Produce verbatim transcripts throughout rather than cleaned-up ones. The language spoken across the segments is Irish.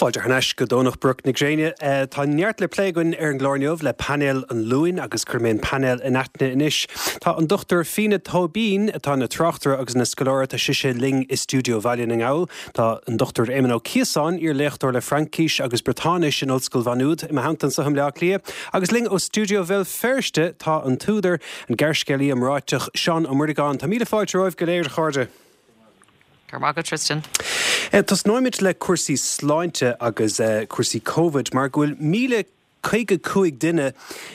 Fáilte thar n-ais go Domhnach Broc na Gréine. Tá neart le plé againn ar an gclár inniu le painéal an Luain agus cuirfidh mé an painéal in aithne anois. Tá an Dochtúir Fíona Tóibín atá ina tráchtaire agus ina scoláire tá sise linn i stiúideo Bhaile na nGall. Tá an Dochtúir Éamon Ó Ciosáin, iar-léachtóir le Fraincis agus Briotáinis in Ollscoil Mhá Nuad i mo theannta anseo i mBleá Cliath. Agus linn ó stiúideo Bhéal Feirste tá an t-údar, an gearrscéalaí iomráiteach Seán Ó Muireagáin. Tá míle fáilte romhaibh go léir a chairde. Go raibh maith agat Tristan. Tosnóimid le cúrsaí sláinte agus cúrsaí Covid mar go bhfuil míle caoga cúig duine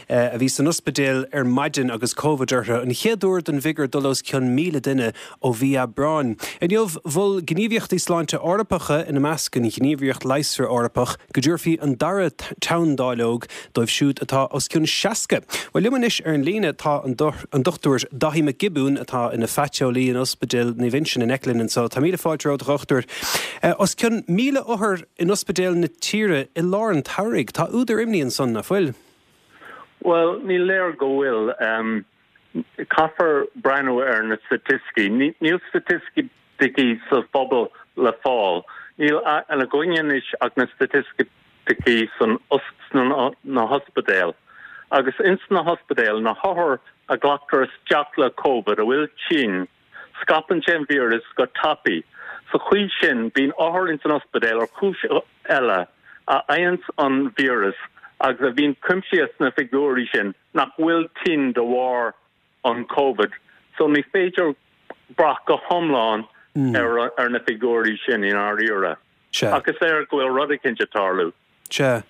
a bhí san ospidéal ar maidin agus Covid orthu, an chéad uair don bhfigiúr dul os cionn míle duine ó mhí Aibreáin. Inniu, mhol gníomhaíochtaí sláinte Eorpacha, ina measc an Ghníomhaireacht Leigheasra Eorpach, go dtabharfaí an dara teanndáileog dóibh siúd atá os cionn seasca. Bhuel, liom anois ar an líne tá an Dochtúir Dáithí Mac Giobúin atá ina phaiteolaí in Ospidéal Naomh Uinseann in aice linn anseo. Tá míle fáilte romhat, a dhochtúir. Os cionn míle othar in ospidéil na tíre i lár an tsamhraidh. Tá údar imní ansan, nach bhfuil? Bhuel, ní léir go bhfuil. Caithfear breathnú ar na staitisticí. Níl staitisticí sa phobal le fáil. Níl againn anois ach na staitisticí san na hospidéil. Agus ins na hospidéil, na hothair a ghlactar isteach le Covid a bhfuil tinn, scaipeann sé an víreas go tapaidh. Sa chaoi sin, bíonn othair ins an ospidéal ar chúis eile a fhaigheanns an víreas agus a bhíonn cuimsithe sna figiúirí sin nach bhfuil tinn de bharr an Covid. So ní féidir brath go hiomlán ar ar na figiúirí sin i ndáiríre. Ach is léir go bhfuil rud eicínt ag tarlú. Sea.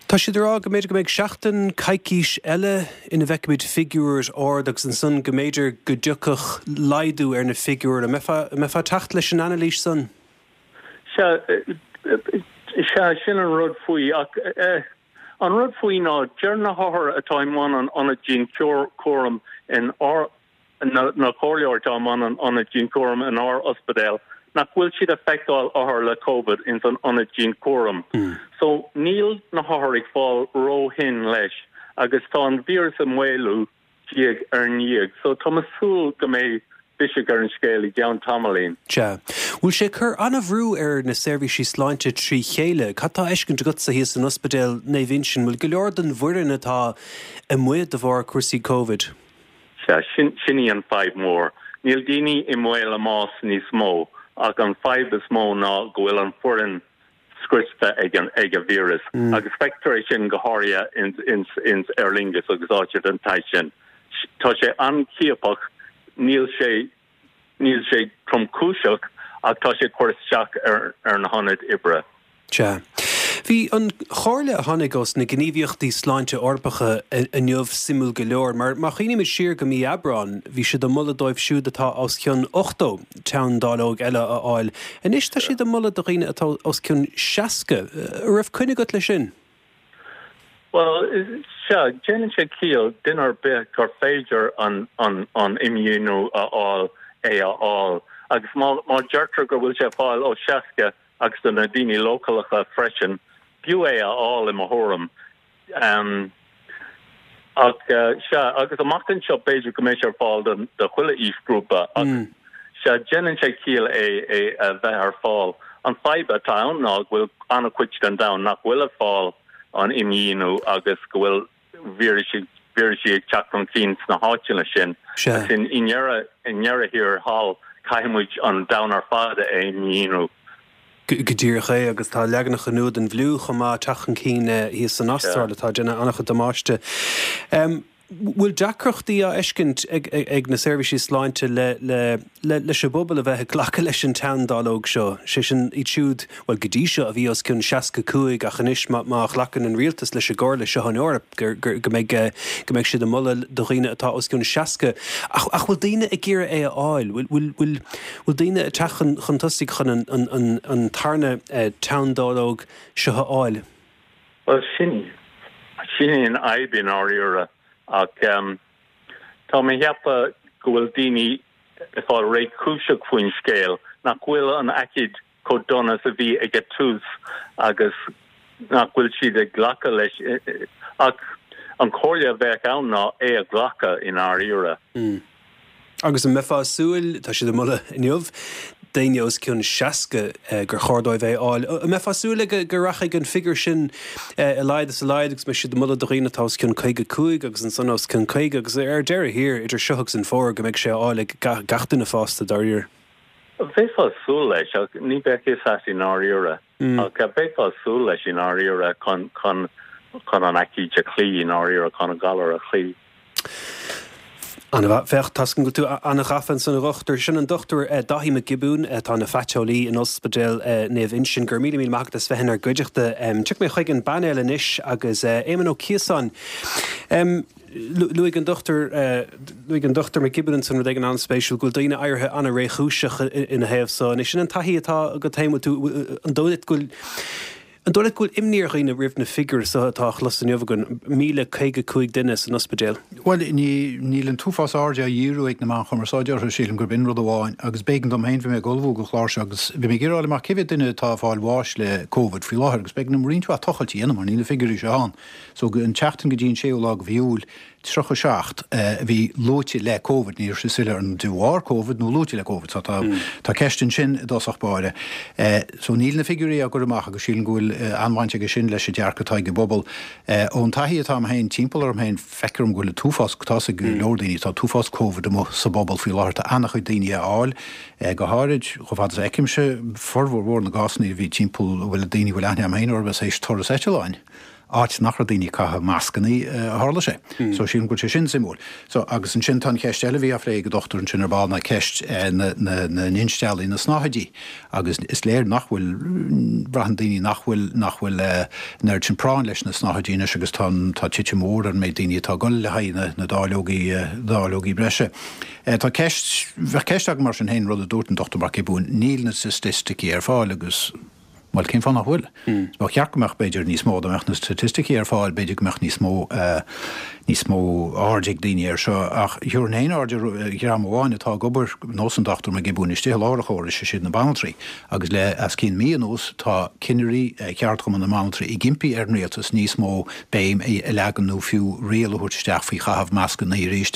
Tá siad ag rá go mb'fhéidir go mbeidh seachtain, coicís eile ina bhfeicfimid figiúr ard agus ansan go mb'fhéidir go dtiocfadh laghdú ar na figiúir. An mbeifeá ag teacht leis an anailís san? Sea, sea, sin an rud faoi ach an rud faoi ná deir na hothair atá i mbun an ionaid dianchúraim in ár na comhairleoirí atá i mbun an ionaid dianchúraim in ár ospidéal nach bhfuil siad ag feiceáil othar le Covid ins an ionad dianchúraim. So níl na hothair ag fáil ró-thinn leis agus tá an víreas ag maolú diaidh ar ndiaidh. So tá mé ag súil go mbeidh biseach ar an scéal i gceann tamaillín. Sea. Bhfuil sé ag cur an-bhrú ar na seirbhísí sláinte trí chéile? Cad tá á fheiscint agatsa thíos in Ospidéal Naomh Uinseann? Bhfuil go leor den bhfoireann atá amuigh de bharr cúrsaí Covid? Sea, sin, sin í an fadhb mhór. Níl daoine i mbaol a mbás níos mó, ach an fadhb is mó ná go bhfuil an foireann scriosta ag an, ag an víreas. Agus feictear é sin go háirithe ins, ins, ins Aer Lingus agus áiteanna den tsaghas sin. Tá sé an-chiapach, níl sé, níl sé tromchúiseach ach tá sé ag cur isteach ar, ar na hionaid oibre. Sea. Bhí an chomhairle a tháinig ós na gníomhaíochtaí sláinte Eorpacha inniu suimiúil go leor, mar má chuimhnímid siar go mí Aibreáin, bhí siad ag moladh dóibh siúd atá os cionn ochtó teanndáileog eile a fháil. Anois tá siad ag moladh do dhaoine atá os cionn seasca. An raibh coinne agat leis sin? Bhuel, sea, déanann sé ciall duine ar bith gur féidir an an an imdhíonadh a fháil é a fháil. Agus má má deirtear go bhfuil sé ar fáil ó seasca, agus do na daoine leochaileacha freisin, b'fhiú é a fháil i mo thuairim. Ach sea, agus amach anseo b'fhéidir go mbeidh sé ar fáil do do chuile aoisghrúpa ach sea, déanann sé ciall é é a bheith ar fáil. An fadhb atá ann ná go bhfuil an-chuid den domhan nach bhfuil ag fáil an imdhíonadh agus go bhfuil vírisí vírisí ag teacht chun cinn sna háiteanna sin. Sea. Agus i ndeireadh i ndeireadh thiar thall caithfidh muid an domhan ar fad a imdhíonadh. Go díreach é, agus tá leaganacha nua den bhfliú chomh maith ag teacht chun cinn thíos san Astráil atá ag déanamh an-chuid damáiste. Bhfuil deacrachtaí á fheiscint ag na seirbhísí sláinte leis an bpobal a bheith ag glacadh leis an teanndáileog seo, sé sin iad siúd, bhuel go dtí seo a bhí os cionn seasca cúig ach anois má ghlacann an rialtas leis an gcomhairle seo an Eoraip go mbeidh go mbeidh siad ag moladh do dhaoine atá os cionn seasca. Ach ach bhfuil daoine ag iarraidh é a fháil? Bhfuil bhfuil bhfuil daoine ag teacht chun chun tosaigh chun an an an an tarna teanndáileog seo a fháil? Bhuel sin sin í an fhadhb i ndáiríre ach tá mé ag ceapadh go bhfuil daoine ag fáil réchúiseach faoin scéal, nach bhfuil an aicíd chomh dona is a bhí ag an tús agus nach bhfuil siad ag glacadh leis ach an chomhairle a bheadh ann ná é a ghlacadh i ndáiríre. Agus an mbeifeá ag súil, tá siad ag moladh inniu, daoine os cionn seasca gur chóir dóibh é a fháil. An mbeifeá ag súil go rachaidh an figiúr sin i laghad is i laghad agus mbeidh siad ag moladh do dhaoine atá os cionn caoga cúig agus ansan os cionn caoga agus ar deireadh thiar idir seo agus an fómhar go mbeidh sé á fháil ag gach duine fásta dáiríre. Bheifeá ag súil leis ach ní bheadh fhios agat i ndáiríre. Ach bheifeá ag súil leis i ndáiríre chun chun chun an aicíd a chloí i ndáiríre chun an galar a chloí. An-mhaith. Féach, tá a fhios agam go bhfuil tú an-ghafa ansan a dhochtúir. Sin an Dochtúir Dáithí Mac Giobúin atá ina phaiteolaí in Ospidéal Naomh Uinseann. Go raibh míle míle maith agat as bheith inár gcuideachta. Tiocfaidh mé chuig an bpainéal anois agus Éamon Ó Ciosáin. Luaigh an Dochtúir luaigh an Dochtúir Mac Giobúin ansan rud éigin an-spéisiúil, go bhfuil daoine éirithe an-réchúiseach ina thaobh so. Anois sin an taithí atá agat féin, bhfuil tú, an dóigh leat go bhfuil An dóigh leat go bhfuil imní ar dhaoine roimh na figiúirí seo atá á chlos inniu againn, míle caoga cúig duine san ospidéal? Bhuel, ní, níl an t-uafás airde á dhíriú ag na meáin chumarsáide orthu, sílim gurb in rud amháin. Agus b'éigean dom féin, bhí mé ag ullmhú don chlár seo agus bhí mé ag iarraidh fháil amach cé mhéad duine atá ag fáil bháis le Covid faoi láthair agus b'éigean dom roinnt mhaith tochailt a dhéanamh mar níl na figiúirí seo ann. So, an tseachtain go dtí an séú lá de mhí Iúil, tríocha seacht a bhí luaite le Covid, ní raibh sé soiléir an de bharr Covid nó luaite le Covid, so tá tá ceist ansin i dtosach báire. So níl na figiúirí á gcur amach agus sílim go bhfuil an-bhaint aige sin leis an dearcadh atá ag an bpobal. Ón taithí atá agam féin timpeall orm féin, feictear dom go bhfuil an t-uafás, tá 'fhios ag go leor daoine, tá an t-uafás Covid amuigh sa bpobal faoi láthair, tá an-chuid daoine á fháil, go háirid chomh fada is a fheicimse, formhór mhór na gcásanna a bhí timpeall, a bhfuil daoine a bhfuil aithne agam féin orthu is théis turas eitleáin. áit nach raibh daoine ag caitheamh mascannaí a tharla sé. So sílim go bhfuil sé sin suimiúil. So agus ansin tá an cheist eile a bhí á phlé ag an dochtúir ansin ar ball ná ceist na na na n-insteallaí, na snáthaidí agus is léir nach bhfuil, braitheann daoine nach bhfuil nach bhfuil an oiread sin práinn leis na snáthaidí anois agus tá tá titim mhór ar an méid daoine atá ag dul le haghaidh na na dáileogaí dáileogaí breise. Tá ceist, bheadh ceist agam mar sin féin, rud a dúirt an Dochtúir Mac Giobúin, níl na staitisticí ar fáil agus, Bhuel, cén fáth nach bhfuil? Ba cheart go mbeadh, b'fhéidir, níos mó, dá mbeadh na staitisticí ar fáil, b'fhéidir go mbeadh níos mó, níos mó aird ag daoine air seo. Ach thabharfainn féin aird ar dhream amháin atá ag obair, nós an Dochtúir Mac Giobúin istigh i lár an chórais, is iad na banaltraí. Agus le os cionn mí anuas tá cinnirí cheardchumann na mbanaltraí ag impí ar an rialtas níos mó béim a leagan nó fiú riail a thabhairt isteach faoi chaitheamh mascanna arís.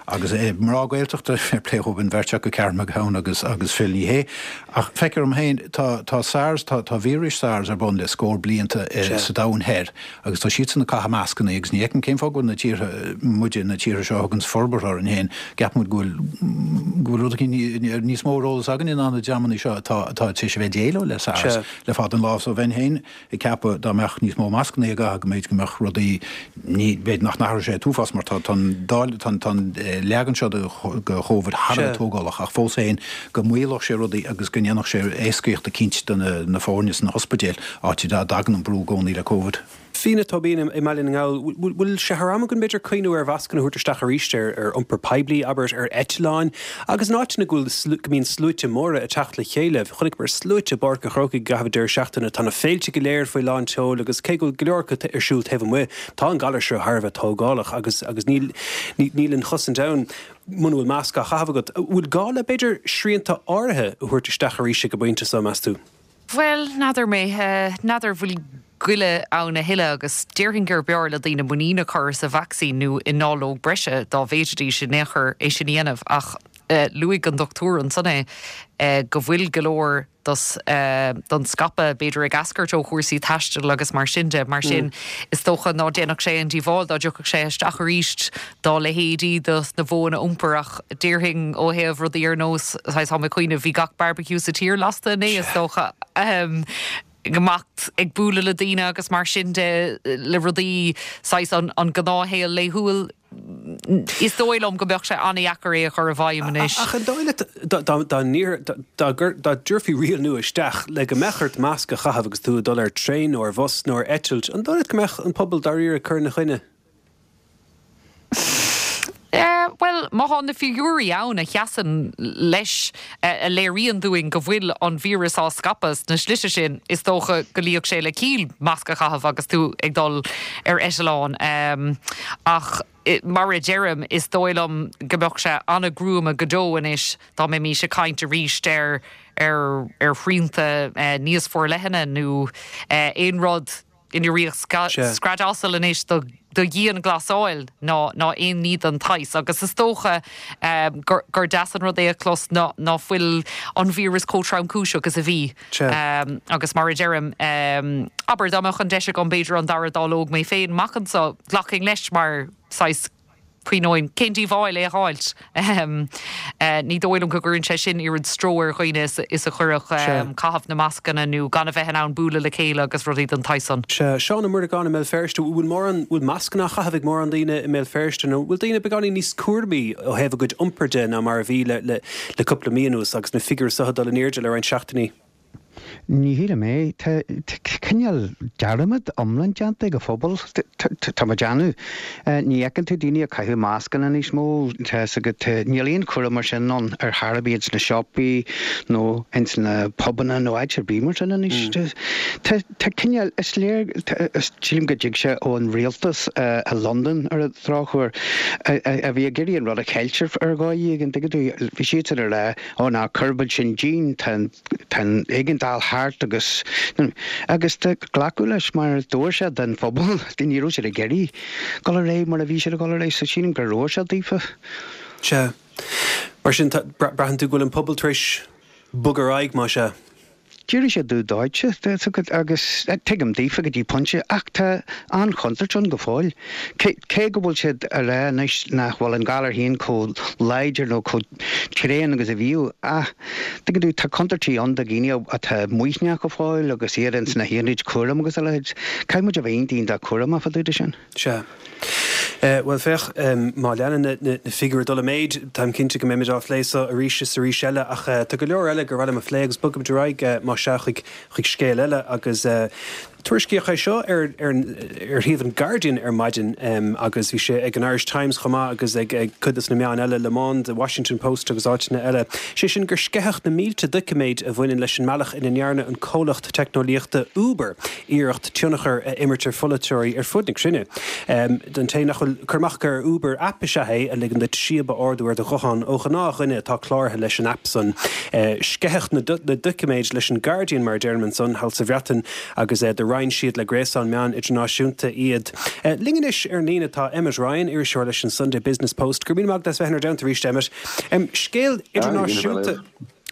Agus mná Gaeltachta, fair play dhóibh an bheirt acu, Karen McGowan agus agus Phil Ní Sheaghdha. Ach feictear dom féin, tá tá SARS, tá tá víris SARS ar bun le scór blianta sa domhan thoir agus tá siadsan ag caitheamh mascanna agus ní fheicim cén fáth go bhfuil na tíortha, muide, na tíortha seo a thuganns forbartha orainn féin, gceapann muid go bhfuil go bhfuil rud éicint níos mó ar eolas againne ná na dreamanna seo atá atá tar éis a bheith ag déileáil le SARS le fada an lá. So bheinn féin ag ceapadh dá mbeadh níos mó mascanna á gcaitheamh go mb'fhéidir go mbeadh rudaí, ní, b'fhéidir nach n-athródh sé an t-uafás mar tá tá an dáil tá an tá an leagan seo de de Chóvid thar a bheith tógálach ach fós féin go maolódh sé rudaí agus go ndéanfadh sé éascaíocht eicínt do na foirne sna hospidéil, áit a dtagann an brú i gcónaí le Covid. Fíona Tóibín i mBaile na nGall, bhfuil sé thar am againn b'fhéidir cuimhniú ar mhascanna a thabhairt isteach arís ar ar iompar poiblí, abair, ar eitleáin agus in áiteanna go bhfuil go mbíonn sluaite móra ag teacht le chéile. Chonaiceamar sluaite i bPáirc an Chrócaigh i gcaitheamh an deireadh seachtaine. Tá na féilte go léir faoi lán tseoil agus cé go bhfuil go leor acu ar siúl taobh amuigh, tá an galar seo thar a bheith tógálach agus agus níl níl an chosaint ann. Muna bhfuil masc á chaitheamh agat, an bhfuil gá le, b'fhéidir, srianta áirithe a thabhairt isteach arís ag an bpointe seo, meas tú? Bhuel, n'fheadar mé. N'fheadar bhfuil goile ann a thuilleadh agus déarfainn gur b'fhearr le daoine muinín a chur sa vacsaín nó i ndáileog breise dá bhféadfaidís in aon chor é sin a dhéanamh ach luaigh an dochtúir ansan é go bhfuil go leor dos don scaipeadh, b'fhéidir ag eascairt ó chúrsaí taistil agus mar sin de. Mar sin, is dócha ná déanfadh sé aon díobháil dá dtiocfadh sé isteach arís dá leithéidí dos na modhanna iompair ach déarfainn ó thaobh rudaí ar nós, saghas, tá mé ag cuimhneamh, bhí gach barbecue sa tír lasta inné is dócha, ag imeacht ag bualadh le daoine agus mar sin de le rudaí saghas an an gnáthshaol laethúil. Is dóigh liom go mbeadh sé an-dheacair é a chur i bhfeidhm anois. Ach an dóigh leat dá dá dtabharfaí riail nua isteach le go mbeadh ort masc a chaitheamh agus tú ag dul ar traein nó ar bhus nó ar eitilt, an dóigh leat go mbeadh an pobal dáiríre ag cur ina choinne? Bhuel, má tá na figiúirí ann a sheasann leis, a léiríonn dúinn go bhfuil an víreas á scaipeadh sna slite sin, is dócha go luífeadh sé le ciall masc a chaitheamh agus tú ag dul ar eitleán. Ach mar a deirim, is dóigh liom go mbeadh sé an-ghruama go deo anois dá mbeimís ag caint arís ar ar ar shrianta níos forleithne nó aon rud. in riocht scread asail anois do do dhianghlasáil ná ná aon ní den tsaghas agus is dócha um, gur, gur deas an rud é a chlos ná ná fuil an víreas chomh tromchúiseach agus a bhí um, agus mar a deirim um, abair dá mbeadh an deis agam b'fhéidir an dara dáileog mé féin amach anseo ghlacfainn leis mar saghas cuioin cén díobháil é a fháilt. Um, uh, ní dóigh liom go gcuireann sé sin oiread stró ar dhaoine is, is a chuirfeadh um, caitheamh na mascanna nó gan a bheith in ann bualadh le chéile agus rudaí den tsaghas san. Se Seán Ó Muireagáin i mBéal Feirste bhfuil mórán bhfuil mascanna á gcaitheamh ag mórán daoine i mBéal Feirste nó bhfuil daoine beagáinín níos cúramaí ó thaobh a gcuid iompair de ná mar a bhí le, le, le cúpla mí anuas agus na figiúirí seo ag dul in airde le roinnt seachtainí. Ní shílim é cineál dearmad iomlán déanta ag an phobal tá mar déanú. Ní fheiceann tú daoine ag caitheamh mascanna níos mó níl aon chúram mar sin ann ar chor ar bith sna siopaí nó ins na pubanna nó áit ar bith mar sin anois. Tá cineál is léir sílim go dtig sé ón rialtas i London ar an drochuair a bhí ag iarraidh an rud a cheilt ar dhóigh éigin bhí siad ar le ó ná cuirbid sin dín tá éigeandáil thart agus agus glacadh leis mar dúirt sé den phobal ní raibh siad ag iarraidh dul ar aghaidh mar a bhí siad ag dul ar aghaidh so sílim gur raibh sé daofa. Se Mar sin braitheann tú go bhfuil an pobal tar éis bogadh ar aghaidh mar se. D'éirigh sé dubh dóite agus tuigim daofa go dtí pointe ach tá an-chontúirt ann go fóill. Cé go bhfuil siad a rá anois nach bhfuil an galar féin chomh láidir nó chomh tréan agus a bhíodh ach tuigeann tú tá contúirtí ann do dhaoine atá maoithneach go fóill agus iad ins na haonaid cúraim agus a leithéid. Caithfidh muid a bheith iontach cúramach fá dtaobh de sin. Se. Uh, well féach um, má leanann na, na, na figiúirí dul i méid Táim cinnte go mbeimid á phlé seo arís is arís eile ach uh, tá go leor eile gur mhaith liom a phlé agus bogaimid ar aghaidh uh, má sea chuig chuig scéal eile agus uh, tuairiscíodh é seo ar ar ar shuíomh an Guardian ar maidin um, agus bhí sé ag an Irish Times chomh maith agus ag, ag cuid de na meáin eile Le Monde, The Washington Post agus áiteanna eile. Sé sin gur sceitheadh na mílte doiciméid a bhaineann leis an mbealach ina ndearna an comhlacht teicneolaíochta Uber iarracht tionchar a imirt ar pholaiteoirí ar fud na cruinne. Um, don té nach bhfuil cur amach ar Uber aip is ea é a ligeann duit síob a ordú ar do ghuthán ó ghnáthdhuine atá cláraithe leis an aip san. Uh, sceitheadh na, na doiciméid leis an Guardian mar deirim ansan thall sa Bhreatain agus uh, do roinn siad le gréasán meán idirnáisiúnta iad. Uh, Linn anois ar líne tá Emmet Ryan iriseoir leis an Sunday Business Post, gur mí mag bheith ar deint arís Emmet. Um, scéal idirnáisiúnta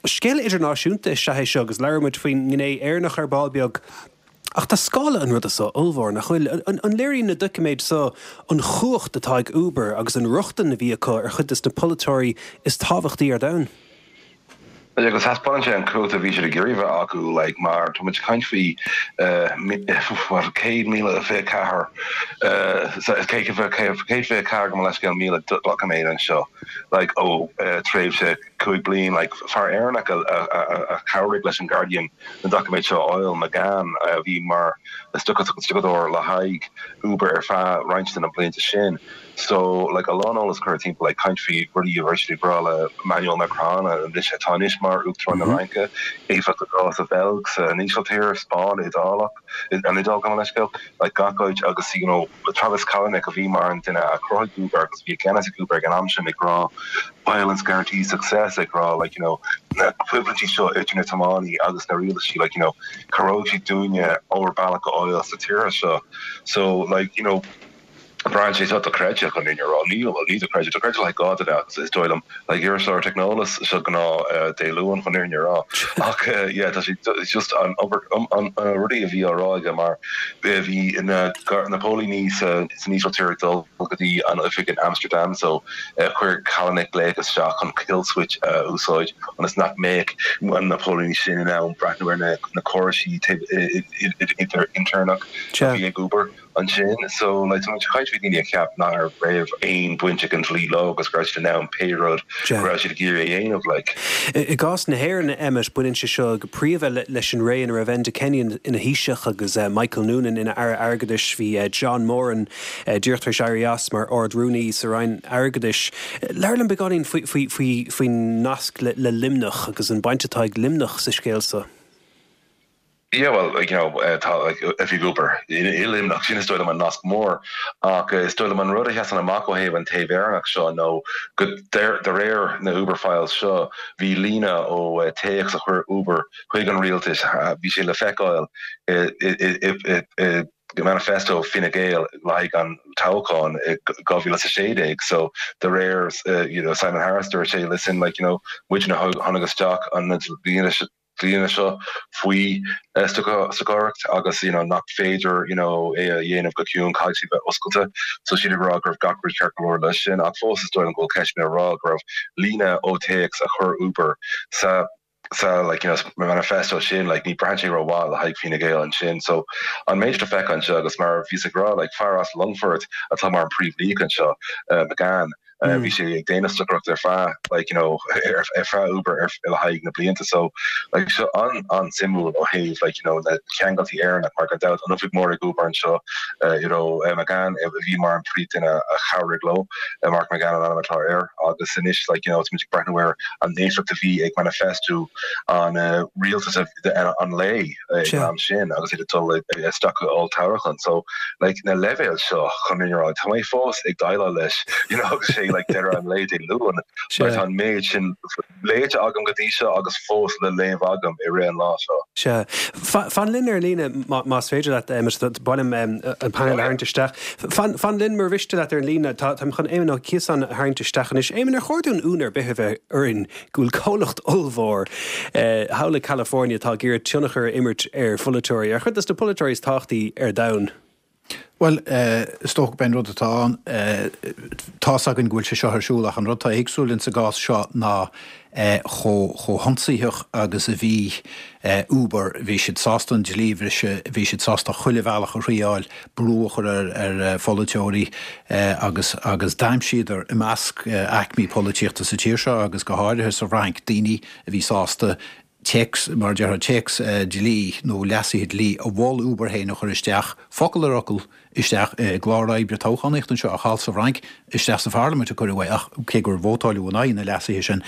Scéal idirnáisiúnta is ea é seo agus labhróimid faoin ngné Éireannach ar ball beag. Ach tá scála an ruda seo ollmhór nach bhfuil an, an léiríonn na doiciméid seo an chumhacht atá ag Uber agus an rochtain a bhí acu ar chuid de na polaiteoirí is tábhachtaí ar domhan. Agus thaispeáin sé an chumhacht a bhí siad ag iarraidh a bheith acu like, mar tá muid ag caint faoi céad míle fiche ceathair céad fiche ceathair gabh mo leithscéal míle doiciméad anseo like, ó tréimhse cúig bliain like, fear Éireannach a, a, a, a chabhraigh leis an Guardian na doiciméid seo Oil McGann a bhí mar stiúrthóir le haghaidh Uber ar feadh roinnt de na blianta sin. So like a lán eolas curtha timpeall like caint faoi rudaí a bhí rá le Emmanuel Macron anois atá anois mar Uachtarán na Fraince, éifeacht sa Bheilg san Ísiltír, Spáinn, Iodálach an Iodáil gabh mo leithscéal like gach áit agus you know, Travis Kalanick a bhí mar an duine a chruthaigh Uber agus bhí ceannas ag Uber ag an am sin ag rá violence guarantees success ag rá like you know na coimhlintí seo idir na tiománaithe agus na rialtais like you know cabhróidh siad dúinne ár mbealach a fháil sa tír seo so like you know Brian sé dochreidte chun in rá ní ní dochreidte dochreidte le gá agus is dóigh liom le iriseoir teicneolaíochta seo gná Dé Luain chun in rá ach yeah tá sé just an an rudaí a bhí á rá aige mar bhí na na póilíní san Ísiltír dul go dtí an oifig in Amsterdam so chuir Kalanick glaoch isteach chun kill switch úsáid ionas nach mbeadh an na póilíní sin in ann breathnú ar na na córais idir inrnach bhí ag Uber ansin so like tá caint faoi daoine a cheap nach raibh aon bhaint ag an dlí leo agus go raibh siad in ann pé rud go raibh siad ag iarraidh a dhéanamh like. I gcás na hÉireann Emmet baineann sé seo go príomha leis an ré ina raibh Enda Kenny ina Thaoiseach agus uh, Michael Noonan ina aire airgeadais bhí uh, John Moran uh, díreach tar éis éirí as mar Ard-Rúnaí sa Roinn Airgeadais. Labhair liom beagáinín faoin nasc le, le Luimneach agus an baint atá ag Luimneach sa scéal seo. Yeah, well, like, you know, uh, tá like, oifig Uber i Luimneach sin is dóigh liom an nasc mór ach uh, is dóigh liom an rud a sheasann amach ó thaobh an taobh Éireannach seo nó go de réir na Uber files seo bhí líne ó uh, téacs a chuir Uber chuig an rialtas bhí sé le feiceáil manifesto Fine Gael le haghaidh an toghchán i dhá mhíle is a sé déag so de réir uh, you know Simon Harris dúirt sé listen like you know muidne a tháinig isteach an dlí seo faoi uh, stocaireacht agus you know nach féidir you know é a dhéanamh go ciúin caithfidh bheith oscailte so siad ag rá go raibh gach rud ceart go leor leis sin ach fós is dóigh liom go bhfuil ceist mé rá go raibh líne ó téacs a chur Uber sa sa like you know manifesto sin like ní braitheann sé rómhaith le haghaidh Fine Gael ansin so an méid a feiceann anseo agus mar bhí ag rá like fear as Longfort atá mar an príomh anseo uh, McGann uh, bhí sé ag déanamh stocaireacht ar feadh like you know ar ar feadh Uber ar le haghaidh na blianta so like seo an an-suimiúil ó thaobh like you know na ceangaltaí Éireannach mar gan dabht an oifig mór ag Uber anseo uh, you know uh, McGann uh, bhí mar an príomhdhuine a chabhraigh leo uh, Mark McGann an ainm atá air agus anois like you know muid ag breathnú ar an éifeacht a bhí ag manifesto an uh, rialtas an lae uh, am sin agus iad ag dul isteach go olltoghchán so like na leibhéil seo chun rá tá mé fós ag déileáil leis you know agus sé like deireadh an lae Dé Luain mar tá an méid sin léite agam go dtí seo agus fós le léamh agam i rith an lá seo. Sea. Fan linn ar líne más féidir leat ba mhaith liom an panel a tharraingt isteach. Fan linn mar mhiste leat ar an líne táim chun Éamon Ó Ciosáin a tharraingt isteach anois. Éamon ar chóir dúinn ionadh ar bith a bheith orainn go bhfuil comhlacht ollmhór thall i California atá ag iarraidh tionchar a imirt ar pholaiteoirí, ar chuid de na polaiteoirí is tábhachtaí ar domhan. Bhuel, is dócha gurb é an rud atá ann, tá's againn go bhfuil sé seo ar siúl ach an rud atá éagsúil in sa gcás seo ná chomh chomh hionsaitheach agus a bhí Uber, bhí siad sásta an dlí a bhriseadh, bhí siad sásta chuile bhealach a thriáil, brú a chur ar ar pholaiteoirí agus agus d'aimsíodar i measc aicmí polaitíochta sa tír seo agus go háirithe sa Fhrainc daoine a bhí sásta téacs, mar a déarfá, téacs dlí nó leasuithe dlí a mhol Uber féin a chur isteach, focal ar fhocal, isteach i gclár oibre toghchánaíochta anseo ach thall sa Fhrainc, isteach sa Pharlaimint a cuireadh é ach cé gur vótáileadh in aghaidh na leasuithe sin.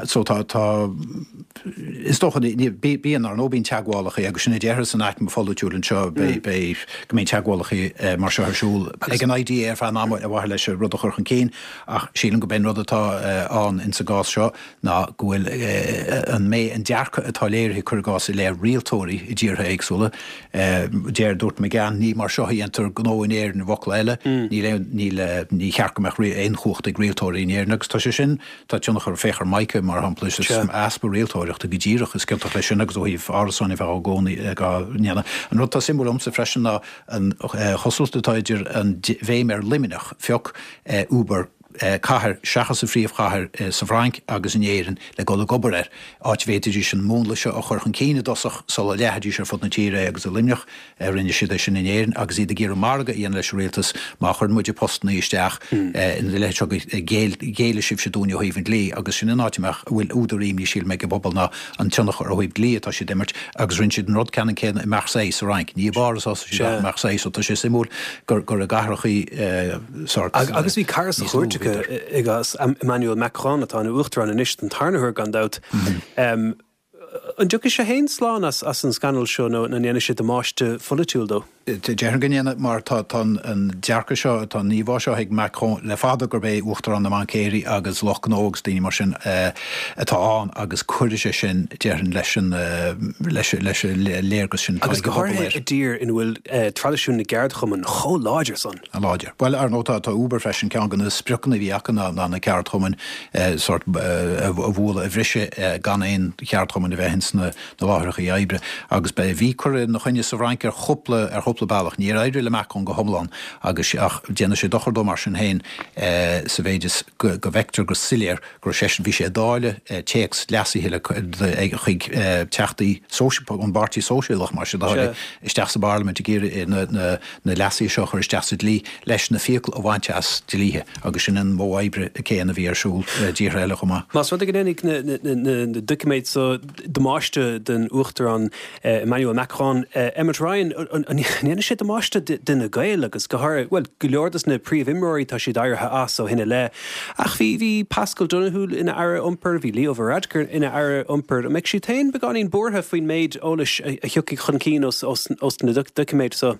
So tá, tá, is dócha, bíonn, ar ndóigh, bíonn teagmhálacha agus sin a déarfá san aicme pholaitiúil anseo, beidh, beidh, go mbíonn teagmhálacha mar seo ar siúl ag an IDA ar feadh an ama ar mhaithe leis an rud a chur chun cinn ach sílim gurb é an rud atá ann insa gcás seo ná go bhfuil an mé an dearcadh atá léirithe, cuir i gcás, i leith rialtóirí i dtíortha éagsúla. Deir, dúirt McGann, ní mar seo a dhéantar gnó in Éirinn, i bhfocla eile, níl aon, níl, ní cheart go mbeadh aon chumhacht ag rialtóirí in Éirinn agus tá sé sin, tá tionchar, féach ar Mica mar shampla, is easpa rialtóireachta go díreach is ciontach leis sin agus ó thaobh árasáin a bheith á gcónaí, á ndéanamh. An rud atá suimiúil liomsa freisin ná an chosúlacht atá idir an bhéim ar Luimneach, phioc Uber, cathair seachas a phríomhchathair sa Bhfrainc agus in Éirinn le dul ag obair air, áit a bhféadfaidís an múnla seo a chur chun cinn i dtosach sula leathfaidís ar fud na tíre é agus i Luimneach rinne siad é sin in Éirinn agus iad ag iarraidh margadh a dhéanamh leis an rialtas má chuireann muide postannaí isteach ina leithéid seo go géillfidh sibhse dúinn ó thaobh an dlí agus sin an áit a mbeadh a bhfuil údar imní sílim ag an bpobal ná an tionchar ó thaobh dlí atá siad ag imirt agus rinne siad an rud ceannann céanna i Marseille sa Fhrainc. Ní i bPáras a thosaigh siad ach i Marseille so tá sé suimiúil gur gur i gcathrachaí sórt Agus bhí cara sa chúirt acu i gcás Emmanuel Macron atá ina uachtarán anois den tarna huair gan dabht. An dtiocfaidh sé féin slán as as an scannal seo nó an ndéanfaidh sé damáiste pholaitiúil dó? Déarfainn go ndéanfaidh mar tá tá an dearcadh seo, tá an íomhá seo ag Macron le fada gurb é uachtarán na mbaincéirí agus lucht gnó agus daoine mar sin atá ann agus cuirfidh sé sin, déarfainn, leis an leis leis an léargas sin atá ag Agus an go bpobal háirithe air. i dtír ina bhfuil traidisiún na gceardchumann chomh láidir san. Láidir. Bhuel, ar ndóigh, tá tá Uber freisin, ceann de na spriocanna a bhí acu ná ná na ceardchumainn sórt a bhualadh, a bhriseadh gan aon cheardchumann a bheith ins na na láithreacha oibre agus ba bhí curtha ina choinne sa Fhrainc ar chúpla ar chúpla bealach. Níor éirigh le Macron go hiomlán agus ach déanfaidh sé dochar dó mar sin féin sa mhéid is go go bhfeictear go soiléir go raibh seisean, bhí sé ag dáileadh téacs leasaithe le chuig teachtaí ón bPáirtí Sóisialach mar sin de isteach sa bParlaimint ag iarraidh na na leasuithe seo a chur isteach sa dlí leis na fiacla a bhaint as dlíthe agus sin an modh oibre céanna a bhí ar siúl i dtíortha eile chomh maith. Más rud é go ndéanfaidh na doiciméid so damáiste don Uachtarán Emmanuel Macron, Emmet Ryan, an ndéanfaidh sé damáiste d'Fhine Gael agus go háirithe, bhuel, go leor dos na príomhimreoirí tá siad éirithe as ó shin i leith. Ach bhí, bhí Paschal Donohoe ina Aire Iompair, bhí Leo Varadkar ina Aire Iompair. An mbeidh siad féin beagáinín buartha faoin méid eolais a thiocfaidh chun cinn os, os, os na doiciméid so?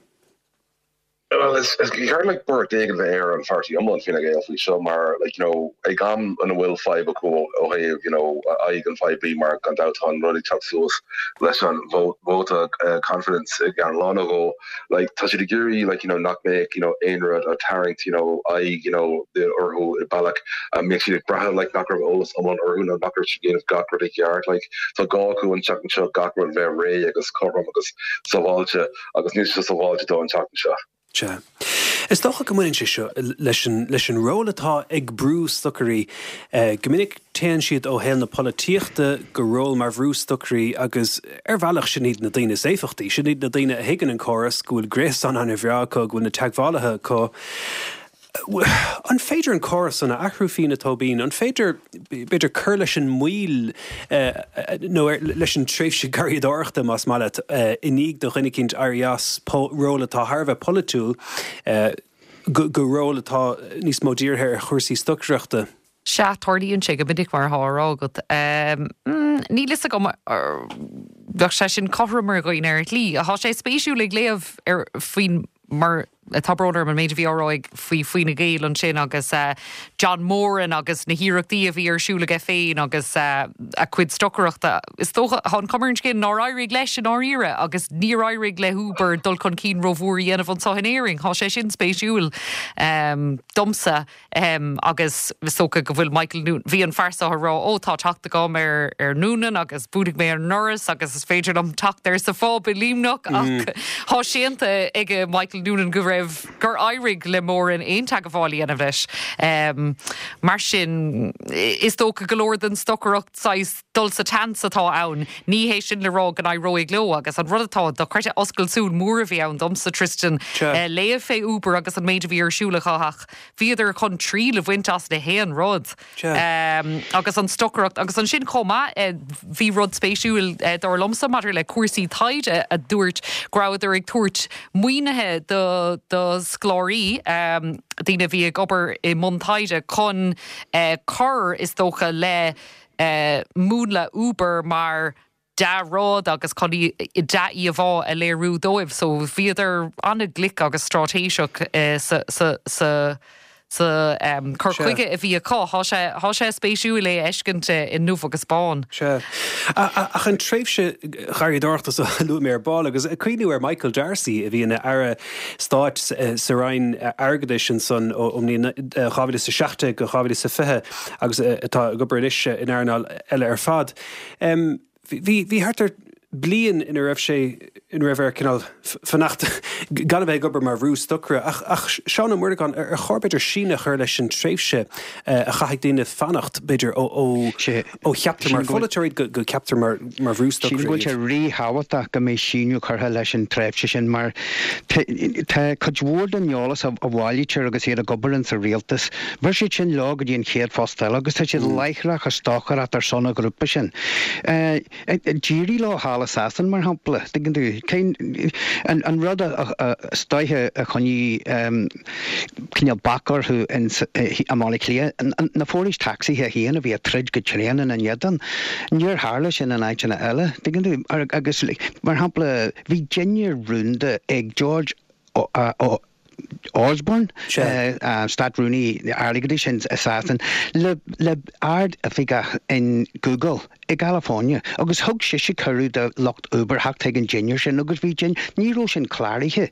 Bhuel, Well is is ceart like buairt éigin bheith ar an pháirtí iomlán Fine Gael faoi seo mar like you know ag am ina bhfuil fadhb acu ó thaobh you know aghaidh an phoiblí mar gan dabht tá an rud ag teacht suas leis an vóta uh, confidence i gceann lá nó dhó like tá siad ag iarraidh like you know nach mbeadh you know aon rud a tarraingt you know aghaidh you know orthu i bealach a mbeadh siad ag brath like nach raibh eolas iomlán orthu nó nach raibh siad ag déanamh gach rud i gceart like tá gá acu an tseachtain seo gach rud bheith réidh agus cothrom agus sábháilte agus níl sé sábháilte dó an tseachtain seo. Sea. Is dócha go mbaineann sé seo leis an leis an ról atá ag brústocairí. Go minic téann siad ó shaol na polaitíochta go ról mar bhrústocairí agus ar bhealach sin iad na daoine is éifeachtaí, sin iad na daoine a thuigeann an córas, go bhfuil gréasán an-bhreá acu, go bhfuil na teagmhálaithe acu. An féidir an córas san a athrú Fiona Tóibín? An féidir b'fhéidir cur leis an moill nó leis an tréimhse garraíodóireachta más maith leat i ndiaidh do dhuine eicínt éirí as ról atá thar a bheith polaitiúil go ról atá níos mó dírithe ar chúrsaí stocaireachta? Sea, tarlaíonn sé go minic mar atá á rá agat. Níl fhios agam bheadh sé sin cothrom ar dhaoine ar shlí. Tá sé spéisiúil ag léamh ar faoin mar tá brón orm an méid a bhí á rá faoi Fine Gael ansin agus John Moran agus na hiarrachtaí a bhí ar siúl aige féin agus a chuid stocaireachta. Is dócha tá an chuma ar an scéal nár éirigh leis i ndáiríre agus níor éirigh le hUber dul chun cinn rómhór a dhéanamh anseo in Éirinn. Tá sé sin spéisiúil domsa agus is dócha go bhfuil Michael Noonan, bhí an fear seo ag rá ó tá teacht agam ar ar Noonan agus buailfidh mé ar an ndoras agus is féidir liom teacht air sa phub i Luimneach ach tá séanta ag Michael Noonan go raibh gur éirigh le Moran aon teagmháil a dhéanamh leis. Mar sin is dócha go leor den stocaireacht saghas dul sa tseans atá ann. Ní hé sin le rá go n-éireoidh leo agus an rud atá dochreidte oscailt súl mór a bhí ann domsa Tristan léamh fé Uber agus an méid a bhí ar siúl acu ach bhíodar chun triail a bhaint as na haon rud. Agus an stocaireacht agus ansin chomh maith bhí rud spéisiúil dar liomsa maidir le cúrsaí taighde a dúirt go rabhadar ag tabhairt maoinithe do do scoláirí, daoine a bhí ag obair i mbun taighde chun cur is dócha le múnla Uber mar dea-rud agus chun dea-íomhá a léiriú dóibh. So bhíodar an-ghlic agus straitéiseach sa sa sa sa cur chuige a bhí acu. Tá sé tá sé spéisiúil é a fheiscint i ndubh agus bán. Sea. Ach an tréimhse gharraíodóireachta so a luaigh mé ar ball agus ag cuimhniú ar Michael D'Arcy a bhí ina Aire Stáit sa Roinn Airgeadais ansan ón mbliain dhá mhíle is a seacht déag go dhá mhíle is a fiche agus atá ag obair anois in earnáil eile ar fad. Bhí bhí thart ar bliain ina raibh sé ina raibh air cineál fanacht gan a bheith ag obair mar bhrústocaire ach ach Seán Ó Muireagáin ar ar chóir b'fhéidir síneadh a chur leis an tréimhse a chaithfidh daoine fanacht b'fhéidir ó ó ó cheaptar mar pholaiteoir iad go go ceaptar mar mar bhrústocaire Sílim go bhfuil sé ríthábhachtach go mbeidh síneadh curtha leis an tréimhse sin mar tá cuid mhór den eolas a bhailítear agus iad ag obair insa rialtas, bheir siad sin leo go dtí an chéad phost eile agus tá siad láithreach ag stocaireacht ar son an ghrúpa sin. D'éirigh leo thall i Sasain, mar shampla, tuigeann tú, cén, an rud is dóiche a choinnigh cineál bac orthu i mBaile Átha Cliath, na forais tacsaithe féin a bhí ag troid go tréan ina n-éadan. Níor tharla sin in áiteanna eile, tuigeann tú, agus mar shampla, bhí dinnéar rúnda ag George Osborne, Stát-Rúnaí Airgeadais i Sasain, le ard-oifigeach in Google i gCalifornia agus thug sise cuireadh do lucht Uber theacht chuig an dinnéar sin agus bhí din, ní raibh sin cláraithe.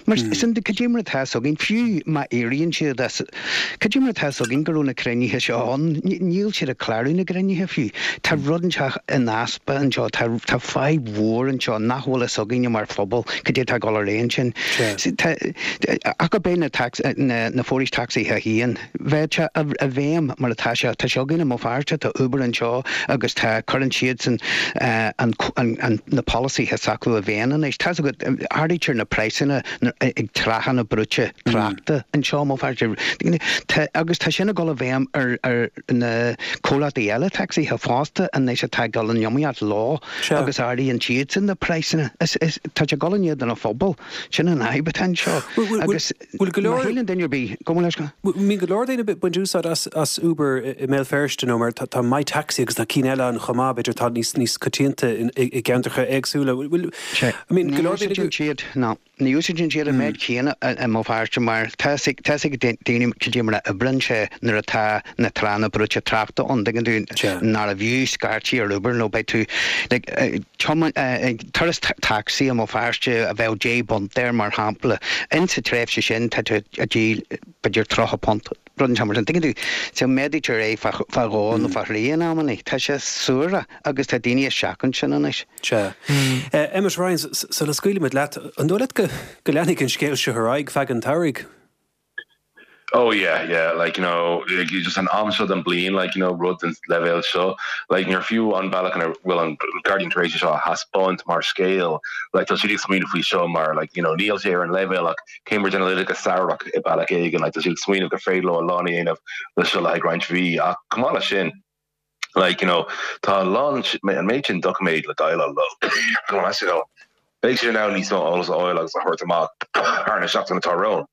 Mar sin de, cad é mar atá fhios againn, fiú má éiríonn siad as, cad é mar atá fhios againn go raibh na cruinnithe seo ann? Níl siad ag clárú na gcruinnithe fiú. Tá rud inteacht in easpa anseo, tá tá fadhb mhór anseo nach bhfuil fhios againne mar phobal cad é atá ag dul ar aghaidh ansin. Tá, ach ab é na na na forais tacsaithe féin, bheadh sé i bhfeidhm mar atá sé, tá sé againn i mBéal Feirste, tá Uber anseo agus tá, cuireann siadsan an an na polasaithe s'acu i bhfeidhm anois. Tá fhios agat, ardaítear na praghsanna ag tráthanna brúite tráchta anseo i mBéal Feirste. Tá, agus tá sin ag dul i bhfeidhm ar ar na comhlachtaí eile tacsaithe fosta anois atá ag dul in iomaíocht leo agus ardaíonn siadsan na praghsanna. Is, is, tá sé ag dul in éadan an phobail. Sin an fhadhb atá anseo. Agus Bhfuil go má leor. shíleann duine ar bith, gabh mo leithscéal. Mbíonn go leor daoine ag baint úsáid as as Uber i mBéal Feirste nó mar tá tá MyTaxi agus tá cinn eile ann chomh chomh maith, b'fhéidir atá níos níos coitianta i gceantracha éagsúla. Bhfuil, I mean, go leor daoine go. Siad, ná ní úsáideann siad an méid céanna i mBéal Feirste mar tá a fhios ag daoine cad é mar a oibríonn sé nuair atá na tránna brúite tráchta ann, dtuigeann tú, nárbh fhiú scairtigh ar Uber nó beidh tú like ag turas tacsaí i mBéal Feirste a bheadh deich bpunt air mar shampla, insa tréimhse sin tá tú ag díol b'fhéidir tríocha punt, rud inteacht mar sin, tuigeann tú, so méadaítear é fá dhó nó fá thrí in amannaí. Tá sé suarach agus tá daoine ag seachaint sin anois. Sea. Emmet Ryan, sula scaoilfimid leat, an dóigh leat go leanfaidh an scéal seo ar aghaidh feadh an tsamhraidh? Oh yeah, yeah, like you know, like just an am seo den bliain, like you know, rud den leibhéal seo, like níor fiú an bealach ina bhfuil an Guardian tar éis seo a thaispeáint mar scéal, like tá siad ag smaoineamh faoi seo mar like you know, níl sé ar an leibhéal ach Cambridge Analytica samhradh i bealach éigin, like tá siad ag smaoineamh gur féidir leo a lán a dhéanamh le seo le haghaidh roinnt mhí ach chomh maith leis sin, like you know, tá a lán an méid sin doiciméad le déileáil leo. Beidh siad in ann níos mó eolas a fháil agus a thabhairt amach thar na seachtaine atá romhainn.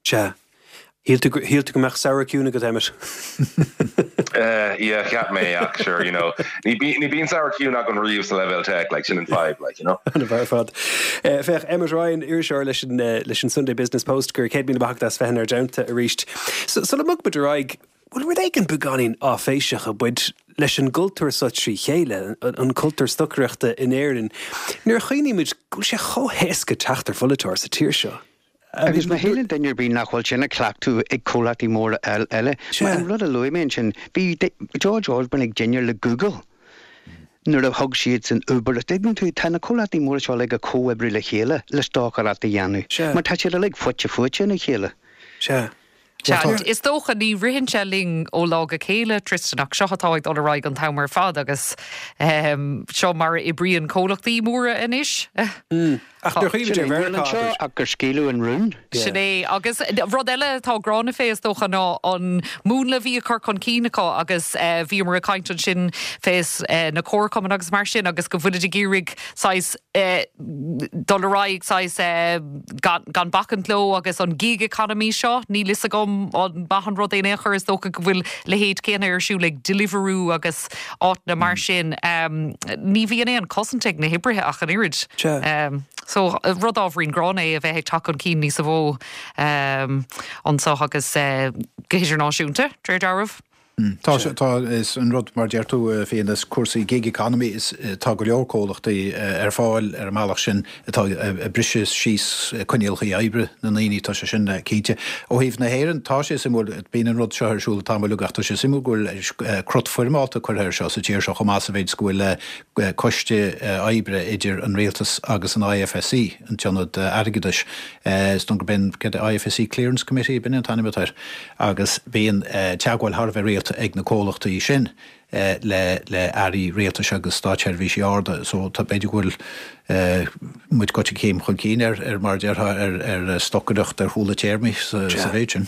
Sea. Shíl tú shíl tú go mbeadh samhradh ciúin agat, Emmet? Uh, yeah, cheap mé ach sure, you know, ní ní bíonn samhradh ciúin agam riamh sa leibhéal tech, like sin an fadhb, like, you know. An ar fad. Uh, féach Emmet Ryan iriseoir leis an uh, leis an Sunday Business Post gur céad míle maith agat as bheith inár dteannta arís. So, sula mbogfaimid ar aghaidh, bhfuil rud éigin beagáinín áiféiseach ag baint leis an gcultúr seo trí chéile, an cultúr stocaireachta in Éirinn. Nuair a chuimhnímid go bhfuil sé chomh héasca teacht ar pholaiteoir sa tír seo. Agus má shíleann duine ar bith nach bhfuil sin á chleachtadh ag comhlachtaí móra eile, mar an rud a luaigh mé ansin, bhí George Osborne ag dinnéar le Google nuair a thug siadsan Uber. Tuigeann tú, tá na comhlachtaí móra seo uilig ag comhoibriú le chéile le stocaireacht a dhéanamh, mar tá siad uilig fite fuaite ina chéile. Sea. Sea, is dócha ní ritheann sé linn ó lá go chéile, Tristan, ach seo atá ag dul ar aghaidh an t-am ar fad agus seo mar a oibríonn comhlachtaí móra anois. Ach nuair a chuimhnímid ar Mheiriceá, anseo ach gur scaoileadh an rún. Sin é. Agus rud eile atá gránna fé is dócha ná an múnla a bhí á chur chun cinn acu agus bhíomar ag caint ansin fés na comharchumainn agus mar sin agus go bhfuilid ag iarraidh saghas dul ar aghaidh saghas gan gan bacaint leo agus an gig economy seo, níl fhios agam an maith an rud é in aon chor, is dócha go bhfuil leithéid céanna ar siúl ag Deliveroo agus áiteanna mar sin. Ní bhíonn aon chosaint ag na hoibrithe ach an oiread. So rud ábhairín gránna é a bheith ag teacht chun cinn níos mó anseo agus go hidirnáisiúnta, de réir dealraimh. Tá, tá, is an rud mar deir tú féin is cúrsaí gig economy is tá go leor comhlachtaí ar fáil ar an mbealach sin atá ag briseadh síos coinníollacha oibre na ndaoine, tá sé sin cinnte. Ó thaobh na hÉireann, tá sé suimiúil, bíonn an rud seo ar siúl tamall ach tá sé suimiúil go bhfuil crot foirmeálta curtha air seo sa tír seo chomh maith sa mhéid is go bhfuil coiste oibre idir an rialtas agus an I F S C, an tIonad Airgeadais. Is dóigh gurb in I F S C Clearance Committee, b'in an t-ainm atá air, agus bíonn teagmháil thar a bheith rialta ag na comhlachtaí sin le le airí rialtais agus státseirbhísigh arda. So tá b'fhéidir go bhfuil muid goite céim chun cinn ar ar mar a déarfá ar ar stocaireacht ar chúla téarmaí sa sa mhéid sin.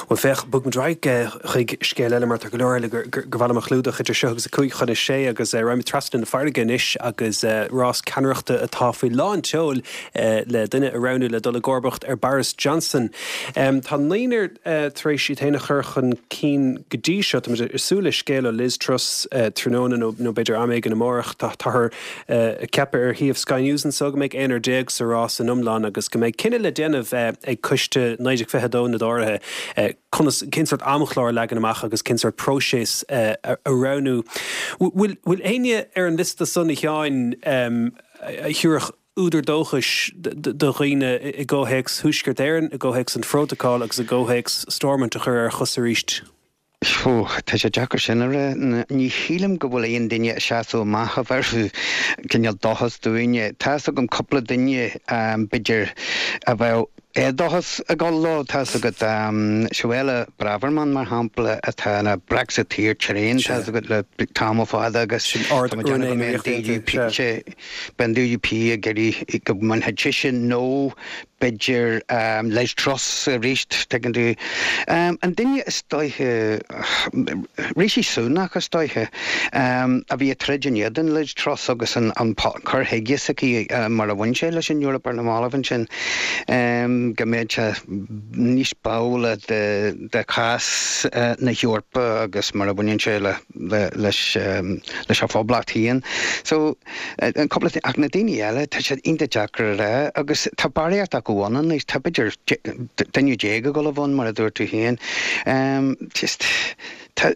Bhuel féach, bogfaimid ar aghaidh chuig scéal eile mar tá go leor eile gur gur mhaith liom a chlúdach idir seo agus a cúig chun a sé agus raghaimid trasna na farraige anois agus rás ceannaireachta atá faoi lán tseoil le duine a roghnú le dul i gcomharbacht ar Boris Johnson. Tá naonúr tar éis iad féin a chur chun cinn go dtí seo. Táimid ag súil le scéal ó Liz Truss tráthnóna nó nó b'fhéidir am éigin amárach. Táthar ag ceapadh ar shuíomh Sky News anseo go mbeidh aonar déag sa rás in iomlán agus go mbeidh cinneadh le déanamh ag Coiste naoi déag fiche a dó na dTóraithe conas cén sórt amchlár a leagan amach agus cén sórt próiseas a roghnú. Bhfuil bhfuil éinne ar an liosta san a Sheáin a thabharfadh údar dóchais do dhaoine i gcomhthéacs Thuaisceart Éireann, i gcomhthéacs an Phrótacail agus i gcomhthéacs Stormont a chur ar a chosa arís? Ó, tá sé deacair sin a rá. Ní shílim go bhfuil aon duine ag seasamh amach a bhéarfadh cineál dóchas dúinne. Tá's agam cúpla duine, b'fhéidir, a bheadh éadóchas ag dul leo. Tá's agat, Suella Braverman, mar shampla, atá ina Brexiteer tréan, tá's agat, le tamall fada agus tá mé ag déanamh go mbeidh an D U P, beidh an D U P ag iarraidh go mbainfeadh sise nó b'fhéidir Liz Truss arís, tuigeann tú. An duine is dóiche, Rishi Sunak is dóiche, a bhí ag troid in éadan Liz Truss agus an cur chuige s'aici mar a bhain sé leis an Eoraip ar na mallaibh ansin. Sílim go mbeidh sé níos báúla de de chás na hEorpa agus mar a bhaineann sé le le leis leis an phoblacht féin. So an cúpla ach na daoine eile tá siad iontach deacair a rá agus tá barraíocht acu ann anois, tá b'fhéidir duine déag ag dul a bhun mar a dúirt tú féin. Just tá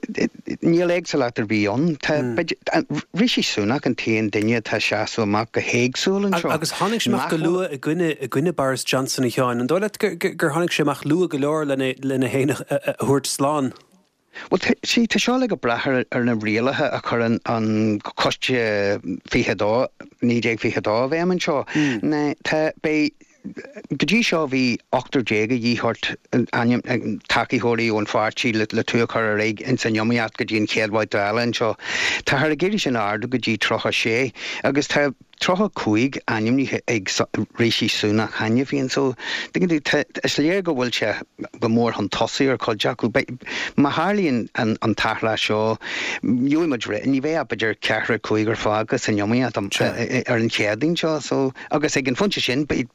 níl éagsúlacht ar bith ann. Tá Rishi Sunak an t-aon duine atá ag seasamh amach go héagsúil anseo. Agus tháinig sé amach go luath i gcoinne i gcoinne Boris Johnson a Sheáin. An dóigh leat gur gur tháinig sé amach luath go leor lena lena fhéin a thabhairt slán? Bhuel, see, tá seo ag brath ar ar na rialacha a chuireann an Coiste fiche dó, naoi déag fiche dó i bhfeidhm anseo. Ná tá beidh Go dtí seo bhí ochtar déag a dhíth ort ainm tacaitheoirí ón pháirtí le le tú a chur ar aghaidh ins an iomaíocht go dtí an chéad bhabhta eile anseo. Táthar ag iarraidh sin a ardú go dtí tríocha sé agus tá tríocha cúig ainmnithe ag Rishi Sunak cheana féin so tuigeann tú tá is léir go bhfuil sé go mór chun tosaigh ar chuid acu. Beidh má tharlaíonn an an t-athrá seo gheobhaidh muid re ní bheidh ach b'fhéidir ceathrar cúigear fágtha san iomaíocht ar an Chéadaoin seo so Agus ag an phointe sin, beidh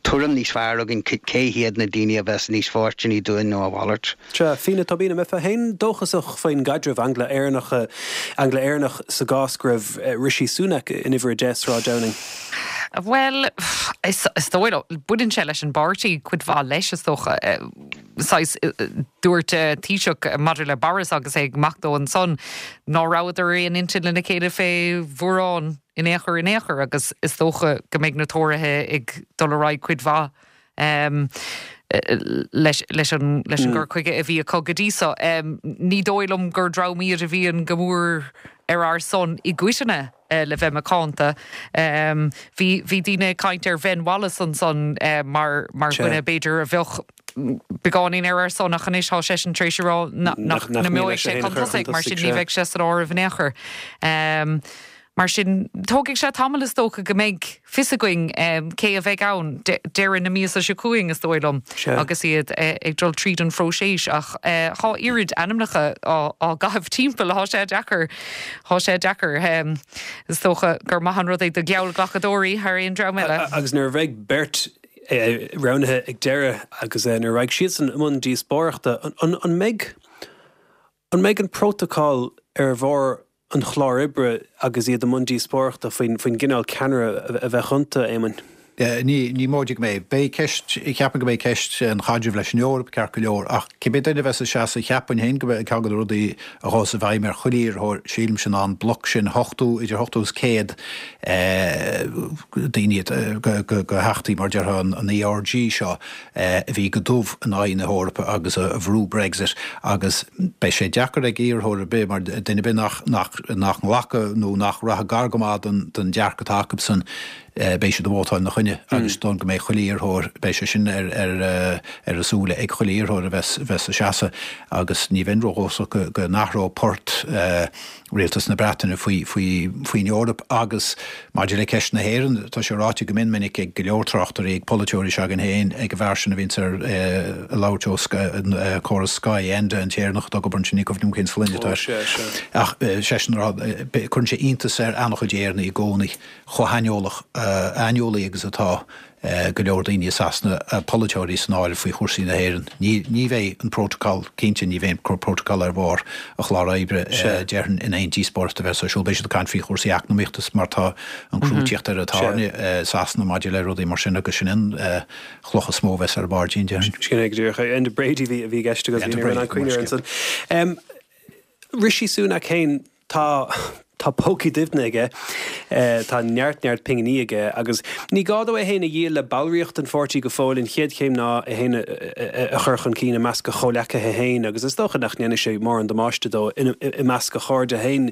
tuairim níos fearr againn cé hiad na daoine a bheas níos fóirsteanaí dúinn nó a mhalairt. Sea, Fíona Tóibín, an mbeifeá féin dóchasach faoin gcaidreamh Angla-Éireannach, Angla-Éireannach sa gcás go raibh Rishi Sunak in uimhir a deich Sráid Downing? Bhuel, is dóigh liom, baineann sé leis an bpáirtí cuid mhaith leis, is dócha. Saghas, dúirt Taoiseach maidir le Boris agus é ag imeacht dó ansan, ná rabhadar ar aon intinn lena chéile fé mhórán in aon chor in aon chor agus is dócha go mbeidh na Tóraithe ag dul ar aghaidh cuid mhaith leis leis an leis an gcur chuige a bhí acu go dtí so. Ní dóigh liom gur dream iad a bhíonn go mór ar ár son i gcoitinne le bheith macánta. Bhí bhí daoine ag caint ar Ben Wallace ansan mar mar dhuine b'fhéidir a bheadh beagáinín ar ár son ach anois tá seisean tar éis a rá nach mbeidh sé chun tosaigh mar sin ní bheidh sé san áireamh in aon chor. Mar sin, tógfaidh sé tamall is dócha go mbeidh fios againn cé a bheidh ann deireadh na míosa seo chugainn, is dóigh liom, agus iad ag dul tríd an phróiseas. Ach tá oiread ainmneacha á gcaitheamh timpeall, tá sé deacair, tá sé deacair. Is dócha gur maith an rud é do gheallghlacadóirí thar aon dream eile. Agus nuair a bheidh beirt roghnaithe ag deireadh agus nuair a raghaidh siadsan i mbun díospóireachta, an mbeidh, an mbeidh an prótacal ar bharr an chláir oibre agus iad i mbun díospóireachta faoin gcineál ceannaire a bheadh iontu, Éamoinn? Ní, ní móide go mbeidh. Beidh ceist, cheapfainn go mbeidh ceist an chaidrimh leis an Eoraip ceart go leor, ach cibé duine a bheas ag seasamh, cheapfainn féin go mbeidh ceann de na rudaí a ghabhfas i bhfeidhm ar chuile iarrthóir, sílimse, ná an bloc sin, ochtó, idir ochtó is céad daoine de theachtaí, mar a déarfá, an ERG seo, a bhí go dubh in aghaidh na hEorpa agus a bhrú Brexit agus beidh sé deacair ag iarrthóir ar bith mar duine ar bith nach nach nach nglacfadh nó nach rachadh gar go maith don don dearcadh atá acusan beidh siad ag vótáil ina choinne agus don go mbeidh chuile iarrthóir beidh sé sin ar ar ar a súile ag chuile iarrthóir a bheas bheas ag seasamh agus ní bheinn ródhóchasach go go n-athródh port Rialtas na Breataine faoi faoi faoin Eoraip agus maidir le ceist na hÉireann, tá sé ráite go mion minic ag go leor tráchtairí, ag polaiteoirí s'againn féin, ag an bhfear sin a bhíonns ar ag labhairt ó córas Sky, Enda, an tÉireannach atá ag obair ansin, ní cuimhin liom cén sloinne atá air. Ach seisean a rá, cuireann sé iontas ar an-chuid Éireannaigh i gcónaí chomh haineolach, aineolaí agus atá. go leor daoine i Sasana, polaiteoirí san áireamh, faoi chúrsaí na hÉireann. Ní ní bheidh an Prótacal, cinnte ní bheidh an Prótacal ar bharr an chláir oibre, déarfainn, in aon díospóireacht a bheas ar siúl. Beidh siad ag caint faoi chúrsaí eacnamaíochta mar tá an crú ag tíocht ar an tairne i Sasana maidir le rudaí mar sin agus sin an chloch is mó a bheas ar an bpairdín, déarfainn. Sin é go díreach é. Enda Brady a bhí i gceist agus bhí an cuimhne air ansan. Rishi Sunak féin, Tá tá pócaí doimhne aige, tá neart neart pinginí aige agus ní gá dó é féin a dhíol le ballraíocht an pháirtí go fóill. An chéad chéim ná é féin a chur chun cinn i measc a chomhleacaithe féin agus is dócha nach ndéanfaidh sé mórán damáiste dó i measc a chairde féin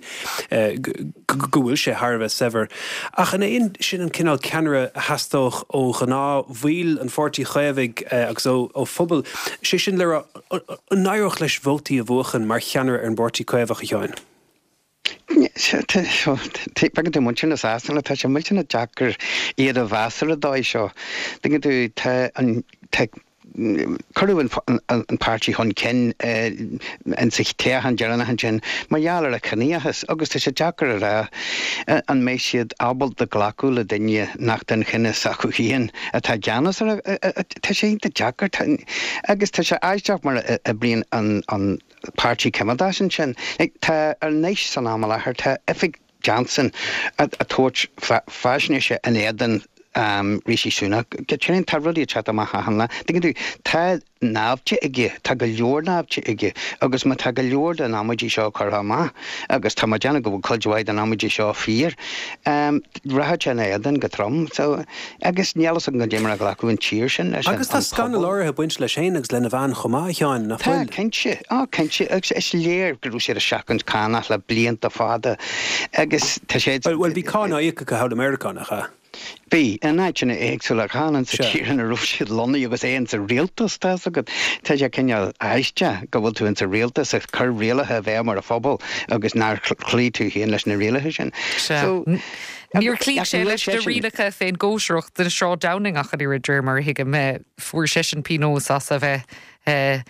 go bhfuil sé thar a bheith saibhir. Ach an é sin an cineál ceannaire a theastódh ó ghnáthbhaill an Pháirtí Chaomhaigh agus ó phobal, sé sin le rá, an n-éireodh leis vótaí a bhuachan mar cheannaire ar an bPáirtí Caomhach, a Sheáin? Tuigeann tú muintir na Sasana, tá sé millteanach deacair iad a mheas ar an dóigh seo. Tuigeann tú, tá an, tá Cuireadh an páirtí chun cinn insa toghchán deireanach ansin mar gheall ar a chiníochas agus tá sé deacair a rá an mbeidh siad ábalta glacadh le duine nach den chine s'acu féin atá i gceannas orthu. Tá sé iontach deacair agus tá sé aisteach mar a oibríonn an Páirtí Coimeádach ansin. Tá anois san am i láthair, tá oifig Johnson ag tabhairt faisnéise in éadan Rishi Sunak. Go deimhin, tá rudaí ag teacht amach achan lá. Tuigeann tú, tá naimhde aige, tá go leor naimhde aige agus má tá go leor den amaidí seo curtha amach, agus tá mé ag déanamh go bhfuil cuid mhaith den amaidí seo fíor, rachaidh sé ina éadan go trom. So, agus níl fhios agam goidé mar a ghlacfaidh an tír sin leis, Agus tá an scannal pobal. áirithe ag baint leis féin agus lena bhean chomh maith, a Sheáin, nach Tá, bhfuil? cinnte. Á, cinnte. Agus is léir go raibh siad ag seachaint cánach le blianta fada agus tá sé. Bhuel, bhuel, bhí cáin á íoc acu thall i Meiriceá, nach ea? Bhí, in áiteanna éagsúla, chan insa Sea. tír ina raibh siad lonnaithe agus é insa rialtas, tá fhios agat. Tá sé cineál aisteach go bhfuil tú insa rialtas ag cur rialacha i bhfeidhm ar an phobal agus nár chloígh tú féin leis na rialacha sin. Sea. So, Níor chloígh ach sé níl leis na seisean. rialacha fén gcóisireacht den Sráid Downing ach an oiread, de réir mar a thuigim. Fuair seisean pionós as a bheith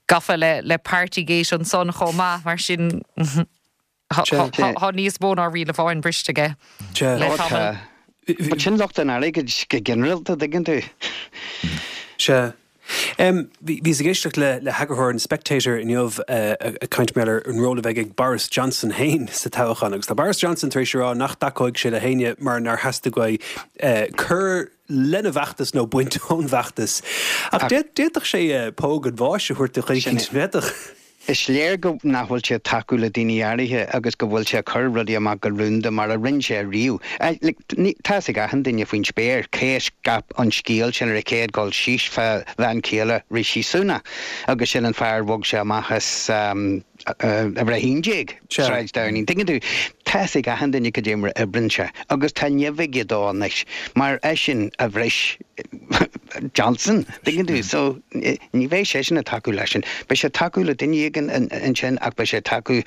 gafa le le Partygate ansan chomh maith, mar sin tá níos mó ná riail amháin briste aige le tamall. But sin lucht an airgid go ginearálta, tuigeann tú. Sea. Bhíos ag éisteacht le le heagarthóir an Spectator inniu ag caint mar ar an ról a bheidh ag Boris Johnson féin sa toghchán agus tá Boris Johnson tar éis a rá nach dtacóidh sé le héinne mar nár theastaigh uaidh cur lena bhfeachtas nó baint ón bhfeachtas. Ach d'fhéadfadh sé póg an bháis a thabhairt do dhuine Sin éicint, bhféadfadh. Is léir go nach bhfuil sé ag tacú le daoine áirithe agus go bhfuil sé ag cur rudaí amach go rúnda mar a rinne sé riamh. Tá fhios ag achan duine faoin spéir cé a scaip an scéal sin ar an chéad dul síos fá bhean chéile Rishi Sunak agus sin an fear a bhog sé amach as uimhir a haon déag, Sráid Downing. Tuigeann tú, tá fhios ag achan duine cad é mar a oibríonn sé agus tá nimh aige dó anois mar eisean a bhris Johnson, tuigeann tú, so ní bheidh seisean ag tacú leis sin. Beidh sé ag tacú le duine éigin ansin ach beidh sé ag tacú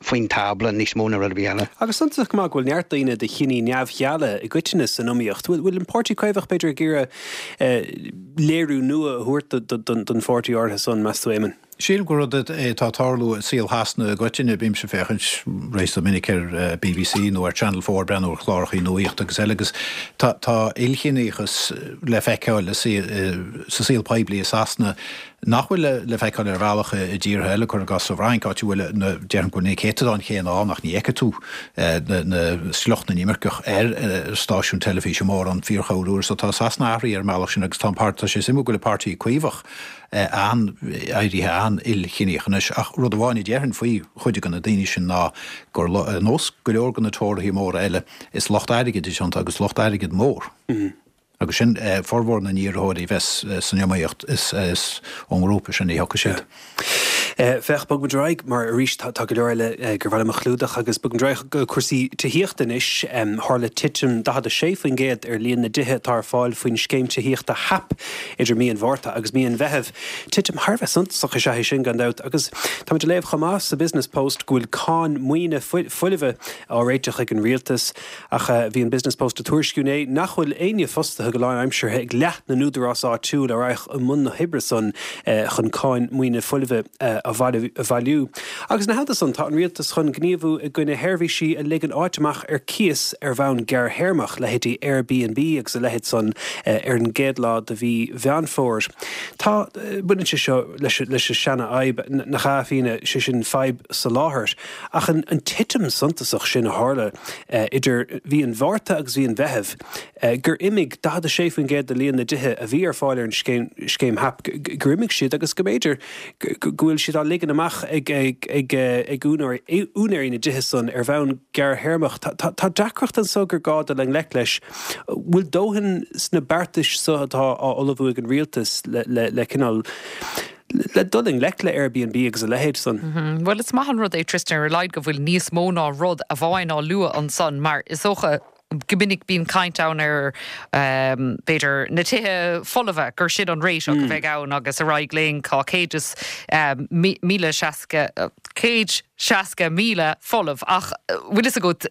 faoin tábla níos mó ná rud ar bith eile. Agus suntasach go maith go bhfuil neart daoine de chiní neamhgheala i gcoitinne san iomaíocht. Bhfuil an Páirtí Caomhach b'fhéidir ag iarraidh léiriú nua a thabhairt don pháirtí áirithe san, meas tú, Éamonn? Sílim gur rud é atá ag tarlú i saol Shasana i gcoitinne. Bímse ag féachaint réasúnta minic ar B B C nó ar Channel Four, breathnú ar chláracha nuachta agus eile agus tá tá ilchiníochas le feiceáil sa saol poiblí i Sasana nach bhfuil le feiceáil ar bhealach i dtíortha eile, cuir i gcás sa Fhrainc, áit a bhfuil na déarfainn go bhfuil na céatadáin chéanna ann ach ní fheicfidh tú na sliocht na n-imirceach ar stáisiún teilifíse mórán fíorchorruair. So tá Sasana athraithe ar an mbealach sin agus tá an páirt tá sé suimiúil go bhfuil an Páirtí Caomhach an éirithe an-ilchiníoch anois ach rud amháin a déarfainn faoi chuid de na daoine sin ná gur nós go leor de na Tóraithe móra eile is lucht airgid is iontu agus lucht airgid mór. Agus sin formhór na n-iarrthóirí a bheas san iomaíocht is ón ngrúpa sin a thiocfaidh siad. Féach, bogfaidh muid ar aghaidh mar arís tá go leor eile gur mhaith liom a chlúdach agus bogfaidh muid ar aghaidh go cúrsaí tithíochta anois. Tharla titim daichead a sé faoin gcéad ar líon na dtithe atá ar fáil faoin scéim tithíochta HAP idir mí an Mhárta agus mí an Mheithimh. Titim thar a bheith suntasach is ea é sin gan dabht agus táimid ag léamh chomh maith sa Business Post go bhfuil cáin maoine foilmhe á réiteach ag an rialtas ach bhí an Business Post ag tuairisciú inné nach bhfuil éinne fostaithe go lánaimseartha ag leath na n-údarás áitiúil a raghadh i mbun na hoibre san chun cáin maoine foilmhe a bhailiú. Agus ina theannta san, tá an rialtas chun gníomhú i gcoinne sheirbhísí a ligeann áit amach ar cíos ar bhonn gearrthéarmach, leithéidí Airbnb agus a leithéid san, ar an gcéad lá de mhí Mheán Fómhair. Tá, baineann sé seo leis leis an seana-fhadhb, nach ea, a Fhíona, sé sin fadhb soláthair. Ach an an titim suntasach sin a tharla idir mhí an Mhárta agus mhí an Mheithimh, gur imigh daichead a sé faoin gcéad de líon na dtithe a bhí ar fáil ar an scéim scéim HAP, gur imigh siad agus go mb'fhéidir go bhfuil siad á ligean amach ag ag ag úinéirí na dtithe san ar bhonn gearrthéarmach. Tá deacracht anso gur gá dul i ngleic leis. Bhfuil dóthain sna beartais so atá á ullmhú ag an rialtas le le le cineál le dul i ngleic le Airbnb agus a leithéid san? Bhuel, is maith an rud é, Tristan, ar a laghad go bhfuil níos mó ná rud amháin á lua ansan mar is dócha go minic bíonn caint ann ar um, b'fhéidir na tithe folmha gur sin an réiteach mm. a bheidh ann agus ar aghaidh linn tá céad is um, míle seasca céad seasca míle folamh ach bhfuil fhios agat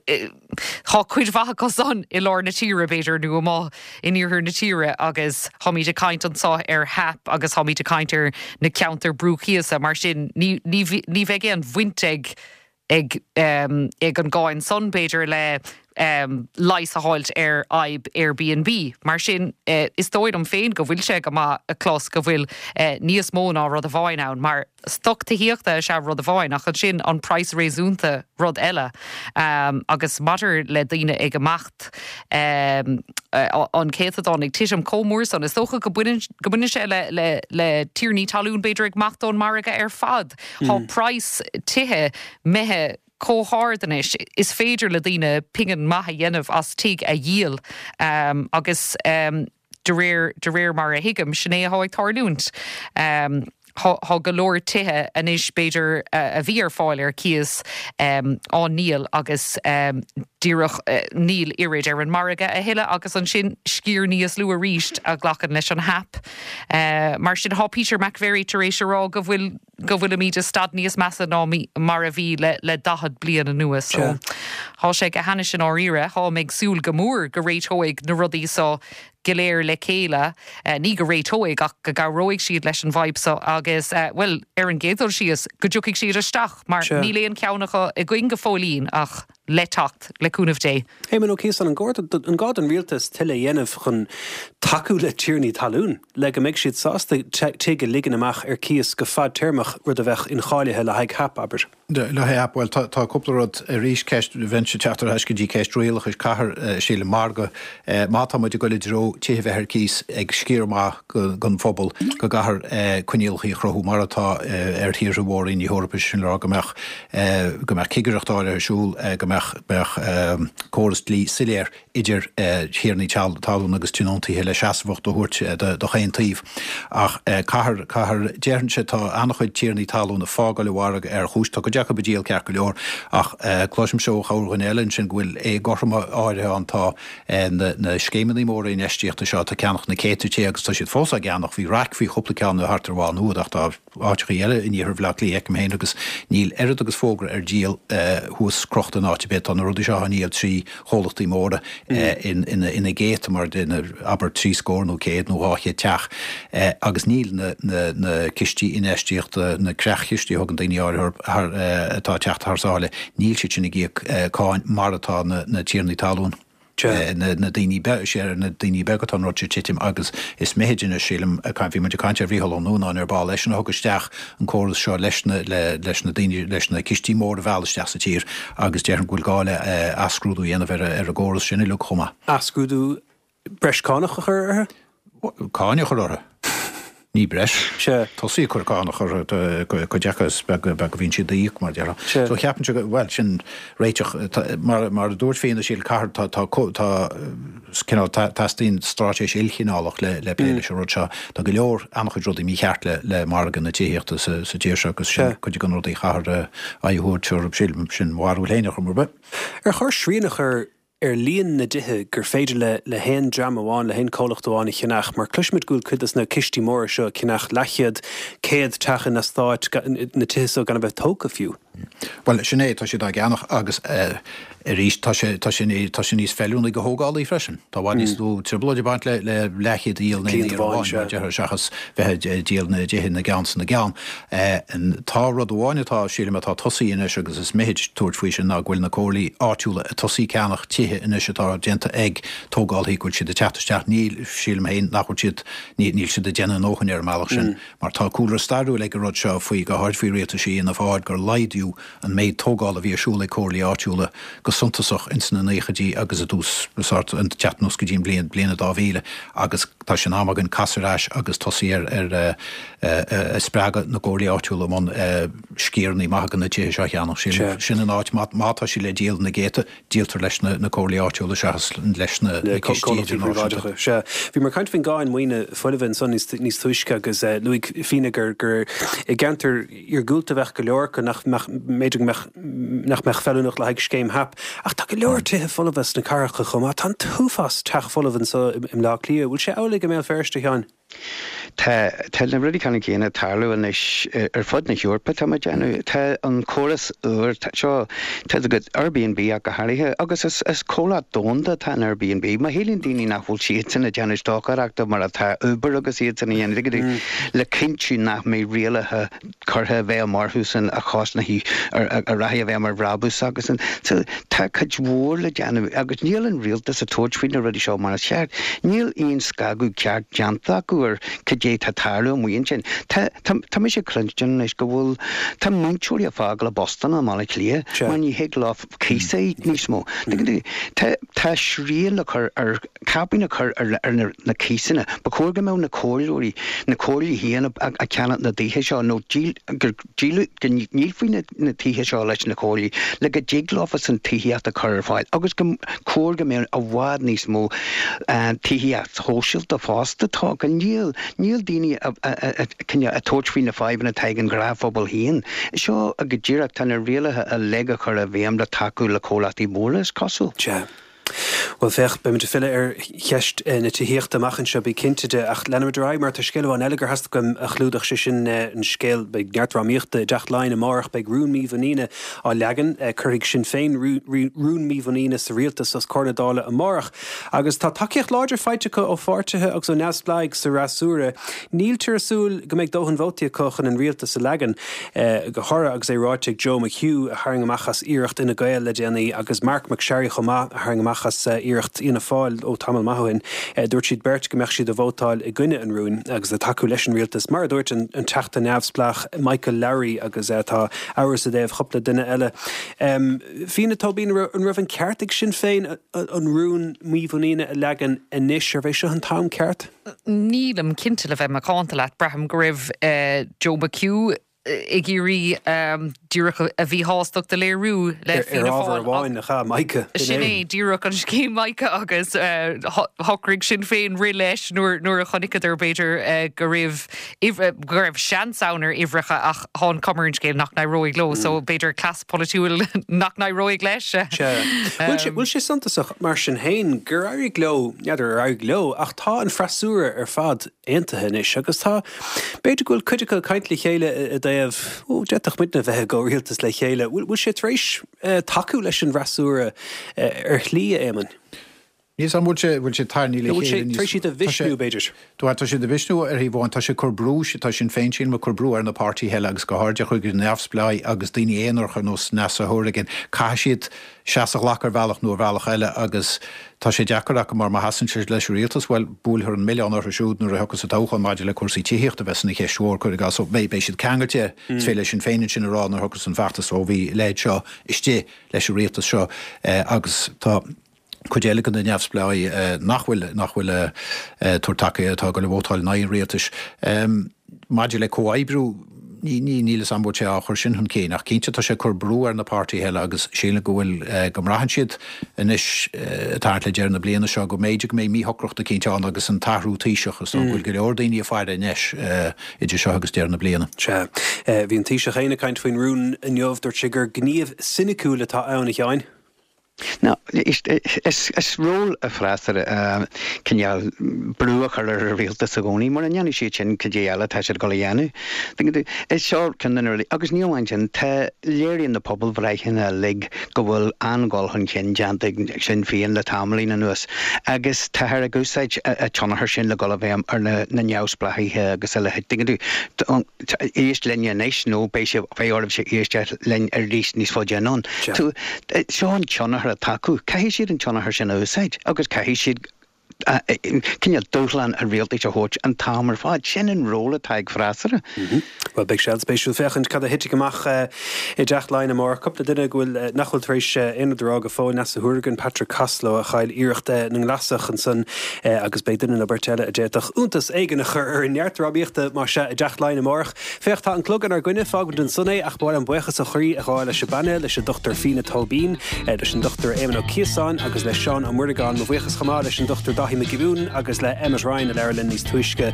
tá cuid mhaith acu san i lár na tíre b'fhéidir nó amach in iarthar na tíre agus táimid ag caint anseo ar HAP agus táimid ag caint ar na ceantair brúchíosa mar sin ní ní bheidh aon bhaint ag ag um, ag an gcáin san b'fhéidir le um, leigheas a fháilt ar fhadhb Airbnb. Mar sin uh, is dóigh liom féin go bhfuil sé go maith a chlos go bhfuil uh, níos mó ná rud amháin ann, mar stoc tithíochta is ea rud amháin ach ansin an praghas réasúnta rud eile. Um, agus maidir le daoine ag imeacht um, uh, an céatadán ag titim chomh mór san is dócha go mbaineann sé le, le, le tiarnaí talún b'fhéidir ag imeacht ón margadh ar fad. Mm. Tá praghas tithe imithe chomh hard anois is féidir le daoine pingin maith a dhéanamh as tigh a dhíol um, agus um, de réir de réir mar a thuigim sin é atá ag tarlúint. Um, Tá go leor tithe anois b'fhéidir uh, a bhí ar fáil ar cíos um, á ndíol agus um, díreach uh, níl oiread ar an margadh a thuilleadh agus ansin sciar níos lú arís a ghlacann leis an HAP. Uh, mar sin tá Peter McVerry tar éis a rá go bhfuil go bhfuilimid i staid níos measa ná mar a bhí le le daichead bliain anuas so. Tá sé go hainnis sin áirithe tá ag súil go mór go réiteoidh na rudaí seo go léir le chéile eh, ní go réiteoidh ach go gcabhróidh siad leis an bhfadhb seo agus eh, well ar an gcéad dul síos go dtiocfaidh siad isteach mar níl aon cheann acu againn go fóillín ach le teacht le cúnamh Dé. Éamon Ó Ciosáin an gá don rialtas tuilleadh a dhéanamh chun tacú le tiarnaí talún, le go mbeidh siad sásta tigh a ligean amach ar cíos go fadtéarmach rud a bheadh incháilithe le haghaidh HAP abair. Le haghaidh HAP, bhuel tá cúpla rud arís ceist bheinnse ag teacht ar ais go dtí ceist rialachais caithfear sílim mar go má tá muid ag dul i dtreo tithe bheith ar cíos ag sciar maith den phobal go gcaithfear coinníollacha a chruthú mar atá ar thíortha mhóra na hEorpa sin le rá go mbeadh go mbeadh cigireacht áirithe ar siúl go mbeadh mbeadh córas dlí soiléir idir thiarnaí talún agus tionóntaithe le seasmhacht a thabhairt do chaon taobh. Ach caithfear, caithfear, déarfainnse, tá an-chuid tiarnaí talún ag fágáil an mhargaidh ar chúis, tá cuid acu ag díol ceart go leor, ach cloisimse ó chorrdhuine eile ansin go bhfuil éagothroime áirithe ann, tá na scéimeanna móra infheistíochta seo atá ag ceannach na céadta tithe agus tá siad fós á gceannach, bhí raic faoi chúpla ceann thart ar Mhá Nuad ach tá áiteachaí eile in iarthar Bhaile Átha Cliath, feicim féin, agus níl oiread agus fógra ar díol thuas crochta in áit ar bith. Tá na rudaí seo á ndíol trí chomhlachtaí móra ina gcéadta mar abair trí scór nó céad nó dhá chéad teach agus níl na cistí infheistíochta, na creach-chistí a thugann daoine áirithe orthu atá ag teacht thar sáile, níl siad sin ag íoc cáin mar atá na tiarnaí talún. na daoine beaga, sé ar na daoine beaga atá an rud seo ag titim agus is mithid anois, sílim, bhí muid ag caint ar Mhícheál Ó Nuanáin ar ball, eisean a thug isteach an córas seo leis na, leis na daoine, leis na cistí móra a mhealladh isteach sa tír agus déarfainn go bhfuil gá le athscrúdú a dhéanamh ar an gcóras sin uilig chomh maith. Athscrúdú breis cánach a chur orthu? Cáin a chur orthu. Ní breis. Sea. Tosaí ag cur cánach orthu, cuid acu is beag a bhíonn siad a íoc, mar a déarfá. Sea. So cheapfainnse go, bhuel, sin réiteach. Mar, mar a dúirt Fíona, sílim, caithfear, tá, tá, tá, cineál, teastaíonn straitéis ilchineálach le, le plé leis an rud seo. Tá go leor, an-chuid rudaí mícheart le, le margadh na tithíochta sa, sa tír seo agus sin cuid de na rudaí a chaithfear aghaidh a thabhairt orthu, sílim, sin mo bharúil féin ar chuma ar bith. Ar chóir srian a chur ar líon na dtithe gur féidir le le haon dream amháin, le haon chomhlacht amháin a cheannach, mar cloisimid go bhfuil cuid de na cistí móra seo ag ceannach leathchéad, céad teach in eastáit, na tithe seo gan a bheith tógtha fiú. Bhuel, sin é, tá siad á gceannach agus arís tá sé, tá sé, tá sé níos feiliúnaí do thógálaí freisin. Tá i bhfad níos lú trioblóid ag baint le le leathchéad a dhíol in aon iarraidh amháin, mar a déarfá, seachas bheith ag díol na dtithe ina gceann 's ina gceann. Tá rud amháin atá, sílim, atá tosaithe anois agus is mithid tabhairt faoi sin ná go bhfuil na comhairlí áitiúla ag tosaí ag ceannach tithe anois atá déanta ag tógálaithe go bhfuil siad ag teacht isteach. Níl, sílim féin, nach bhfuil siad, níl siad ag déanamh a ndóthain ar an mbealach sin mar tá cúlra stairiúil ag an rud seo faoi, go háirid faoi rialtais Fhianna Fáil, gur laghdaíodh an méid tógála a bhí ar siúl ag comhairlí áitiúla go suntasach ins na naochaidí agus i dtús, sórt, an teacht anuas go dtí an bhliain, bliain dhá mhíle agus tá sé in am againn casadh ar ais agus tosaí ar, ar, ag spreagadh na gcomhairlí áitiúla i mbun sciaranna maithe de na tithe seo a cheannach. Sin, sin an áit, má, má tá siad le díol na gcéadta, díoltar leis na, na comhairlí áitiúla seachas leis na, na cistí idirnáisiúnta. Sea. Bhíomar ag caint faoin gcáin maoine foilmhe ansan níos, níos túisce agus luaigh Fíona gur, gur i gceantair iargúlta a bheadh go leor acu nach mbeadh, b'fhéidir go mbeadh, nach mbeadh feiliúnach le haghaidh scéim HAP. Ach tá go leor tithe folmha sna cathracha chomh maith. Tá an t-uafás teach folamh anseo i mBleá Cliath. Bhfuil sé amhlaidh i mBéal Feirste, a Sheáin? Tá tá na rudaí ceannann céanna ag tarlú anois ar fud na hEorpa, tá mé ag déanamh. Tá an córas úr seo, tá a gcuid Airbnb ach go háirithe, agus is is comhlacht domhanda atá in Airbnb. Má shíleann daoine nach bhfuil siadsan ag déanamh stocaireachta mar atá Uber agus iadsan a dhéanamh, le cinntiú nach mbeidh rialacha curtha i bhfeidhm orthusan a chosnóidh a rachaidh i bhfeidhm ar bhrabús agus an so tá cuid mhór le déanamh agus níl an rialtas ag tabhairt faoi na rudaí seo mar is ceart. Níl aon scagadh ceart déanta acu ar cad é tá ag tarlú amuigh ansin. Tá tá tá mise ag cluinstin anois go bhfuil tá múinteoirí ag fágáil a bpostanna i mBaile Átha Cliath mar ní thig leo cíos a íoc níos mó. Tá tá srian le cur ar caipín a chur ar ar na cíosanna. Ba chóir go mbeadh na comhairleoirí, na comhairlí féin ag ceannach na dtithe seo nó díol, gur díoladh, go ndíolfaí na tithe seo leis na comhairlí le go dtig leofasan tithíocht a chur ar fáil agus go chóir go mbeadh i bhfad níos mó tithíocht shóisialta fosta tógtha. Níl, níl daoine ag tabhairt faoi na fadhbanna atá ag an ghnáthphobal féin. Seo go díreach, tá na rialacha uilig á chur i bhfeidhm le tacú le comhlachtaí móra, is cosúil. Sea. Bhuel, féach, beimid ag filleadh ar cheist na tithíochta amach anseo, bí cinnte de, ach leanfaimid ar aghaidh mar tá scéal amháin eile gur theastaigh uaim a chlúdach, sé sin an scéal, beidh neart drámaíochta i dTeach Laighean amárach, beidh rún mímhuiníne á leagan, cuirfidh Sinn Féin rún mímhuiníne sa rialtas os comhair na Dála amárach agus tá tacaíocht láidir faighte acu ó pháirtithe agus ó neamhspleáigh sa fhreasúra. Níltear ag súil go mbeidh dóthain vótaí acu chun an rialtas a leagan, go háirithe agus é ráite ag Joe McHugh, a tharraing amach as iarracht Fhine Gael le déanaí, agus Marc MacSharry chomh maith, a tharraing amach as iarracht Fhianna Fáil ó tamall maith ó shin. Dúirt siad beirt go mbeadh siad ag vótáil i gcoinne an rúin agus ag tacú leis an rialtas, mar a dúirt an Teachta neamhspleách Michael Lowry agus tá amhras i dtaobh chúpla duine eile. Fiona Tóibín, an raibh an ceart ag Sinn Féin an rún mímhuiníne a leagan anois? Arbh é seo an t-am ceart? Nílim cinnte le bheith macánta leat. Braithim go raibh Joe McHugh ag iarraidh díreach a mhíshástacht a léiriú le Fianna Fáil. Ar ábhar amháin nach ea, Mica? Sin é díreach an scéim Mica agus shocraigh Sinn Féin rith leis nuair a chonaiceadar b'fhéidir go raibh go raibh seans ann ar uimhreacha ach tá an chuma ar an scéal nach n-éireoidh leo so b'fhéidir cleas polaitiúil nach n-éireoidh leis. Sea. Bhfuil sé suntasach mar sin féin gur éirigh leo, n'fheadar ar éirigh leo, ach tá an freasúra ar fad aontaithe anois agus tá, b'fhéidir go bhfuil cuid acu ag caint le chéile i dtaobh, ó, d'fhéadfadh muidne bheith i gcomhrialtas le chéile. Bhfuil sé tar éis tacú leis an bhfreasúra ar shlí, a Éamoinn? Níl 's a'm bhfuil sé, bhfuil sé tarraingthe le chéile níos, tar éis iad a mhisniú, b'fhéidir. Tá, tá siad a mhisniú ar thaobh amháin, tá sé ag cur brú, tá Sinn Féin sílim ag cur brú ar na páirtithe eile agus go háirithe chuig na neamhspleáigh agus daoine aonaracha ar nós Neasa Hourigan, caithfidh siad seasamh a ghlacadh ar bhealach nó ar bhealach eile agus tá sé deacair acu mar má sheasann siad leis an rialtas, bhuel, buailfear an milleán orthu siúd nuair a thiocfas an toghchán maidir le cúrsaí tithíochta a bheas ina cheist mhór, cuir i gcás. So beidh, beidh siad ceangailte, is féidir le Sinn Féin ansin a rá nuair a thiocfas an feachtas, ó bhí a leithéid seo istigh leis an rialtas seo agus tá. Cuid eile de na neamhspleáigh nach bhfuil nach bhfuil ag tabhairt tacaíocht atá ag dul a vótáil in aghaidh an rialtais. Maidir le comhoibriú, ní ní níl 'fhios a'm bhfuil sé á chur sin chun cinn ach cinnte tá sé ag cur brú ar na páirtithe eile agus sílim go bhfuil go mbraitheann siad anois ag tarraingt le deireadh na bliana seo go mb'fhéidir go mbeidh míshocracht eicínt ann agus an t-athrú Taoiseach is dóigh go bhfuil go leor daoine ag faire anois idir seo agus deireadh na bliana. Sea. Bhí an Taoiseach féin ag caint faoin rún inniu. Dúirt sé gur gníomh soiniciúil atá ann, a Sheáin. Now, is ról an fhreasúra cineál brú a chur ar an rialtas i gcónaí. Mura ndéanfaidh siad sin, cad é eile atá siad ag dul a dhéanamh? Tuigeann tú? Is seo ceann de na rudaí. Agus ní amháin sin, tá, léiríonn na pobalbhreitheanna uilig go bhfuil an-dhul chun cinn déanta ag Sinn Féin le tamaillín anuas agus táthar ag úsáid an tionchar sin le dhul i bhfeidhm ar na neamhspleáchaithe agus a leithéid. Tuigeann tú? Éist linn anois nó beidh sé, beidh oraibhse éisteacht linn arís níos faide anonn. Seo an tionchar atá acu. Caithfidh siad an tionchar sin a úsáid agus caithfidh siad cineál dúshlán an rialtais a thabhairt an t-am ar fad. Sin an ról atá ag freasúra. Bhuel, beidh sé an-spéisiúil féachaint cad a thitfidh amach i dTeach Laighean amárach. Cúpla duine go bhfuil, nach bhfuil tar éis aon rud a rá go fóill, Neasa Hourigan, Patrick Costello a chaill iarracht na nGlasach ansan agus beidh duine nó beirt eile a d'fhéadfadh iontas éigin a chur ar an neart drámaíochta más ea i dTeach Laighean amárach. Féach, tá an clog inár gcoinne, fágfaimid ansan é ach ba mhaith liom buíochas ó chroí a ghabháil leis an bpainéal, leis an Dochtúir Fiona Tóibín, leis an Dochtúir Éamonn Ó Ciosáin agus le Seán Ó Muireagáin. Mo bhuíochas chomh maith leis an Dochtúir Dáithí Dáithí Mac Giobúin agus le Emmet Ryan a labhair linn níos túisce.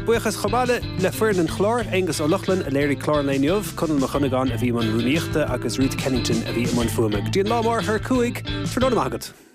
Buíochas chomh maith le foireann an chláir, Aonghus Ó Lochlainn a léirigh clár an lae inniu, Conall Mac Cuinneagáin a bhí i mbun rúnaíochta agus Ruth Kennington a bhí i mbun fuaime. Go dtí an lá amárach ar a cúig, tráthnóna maith agat.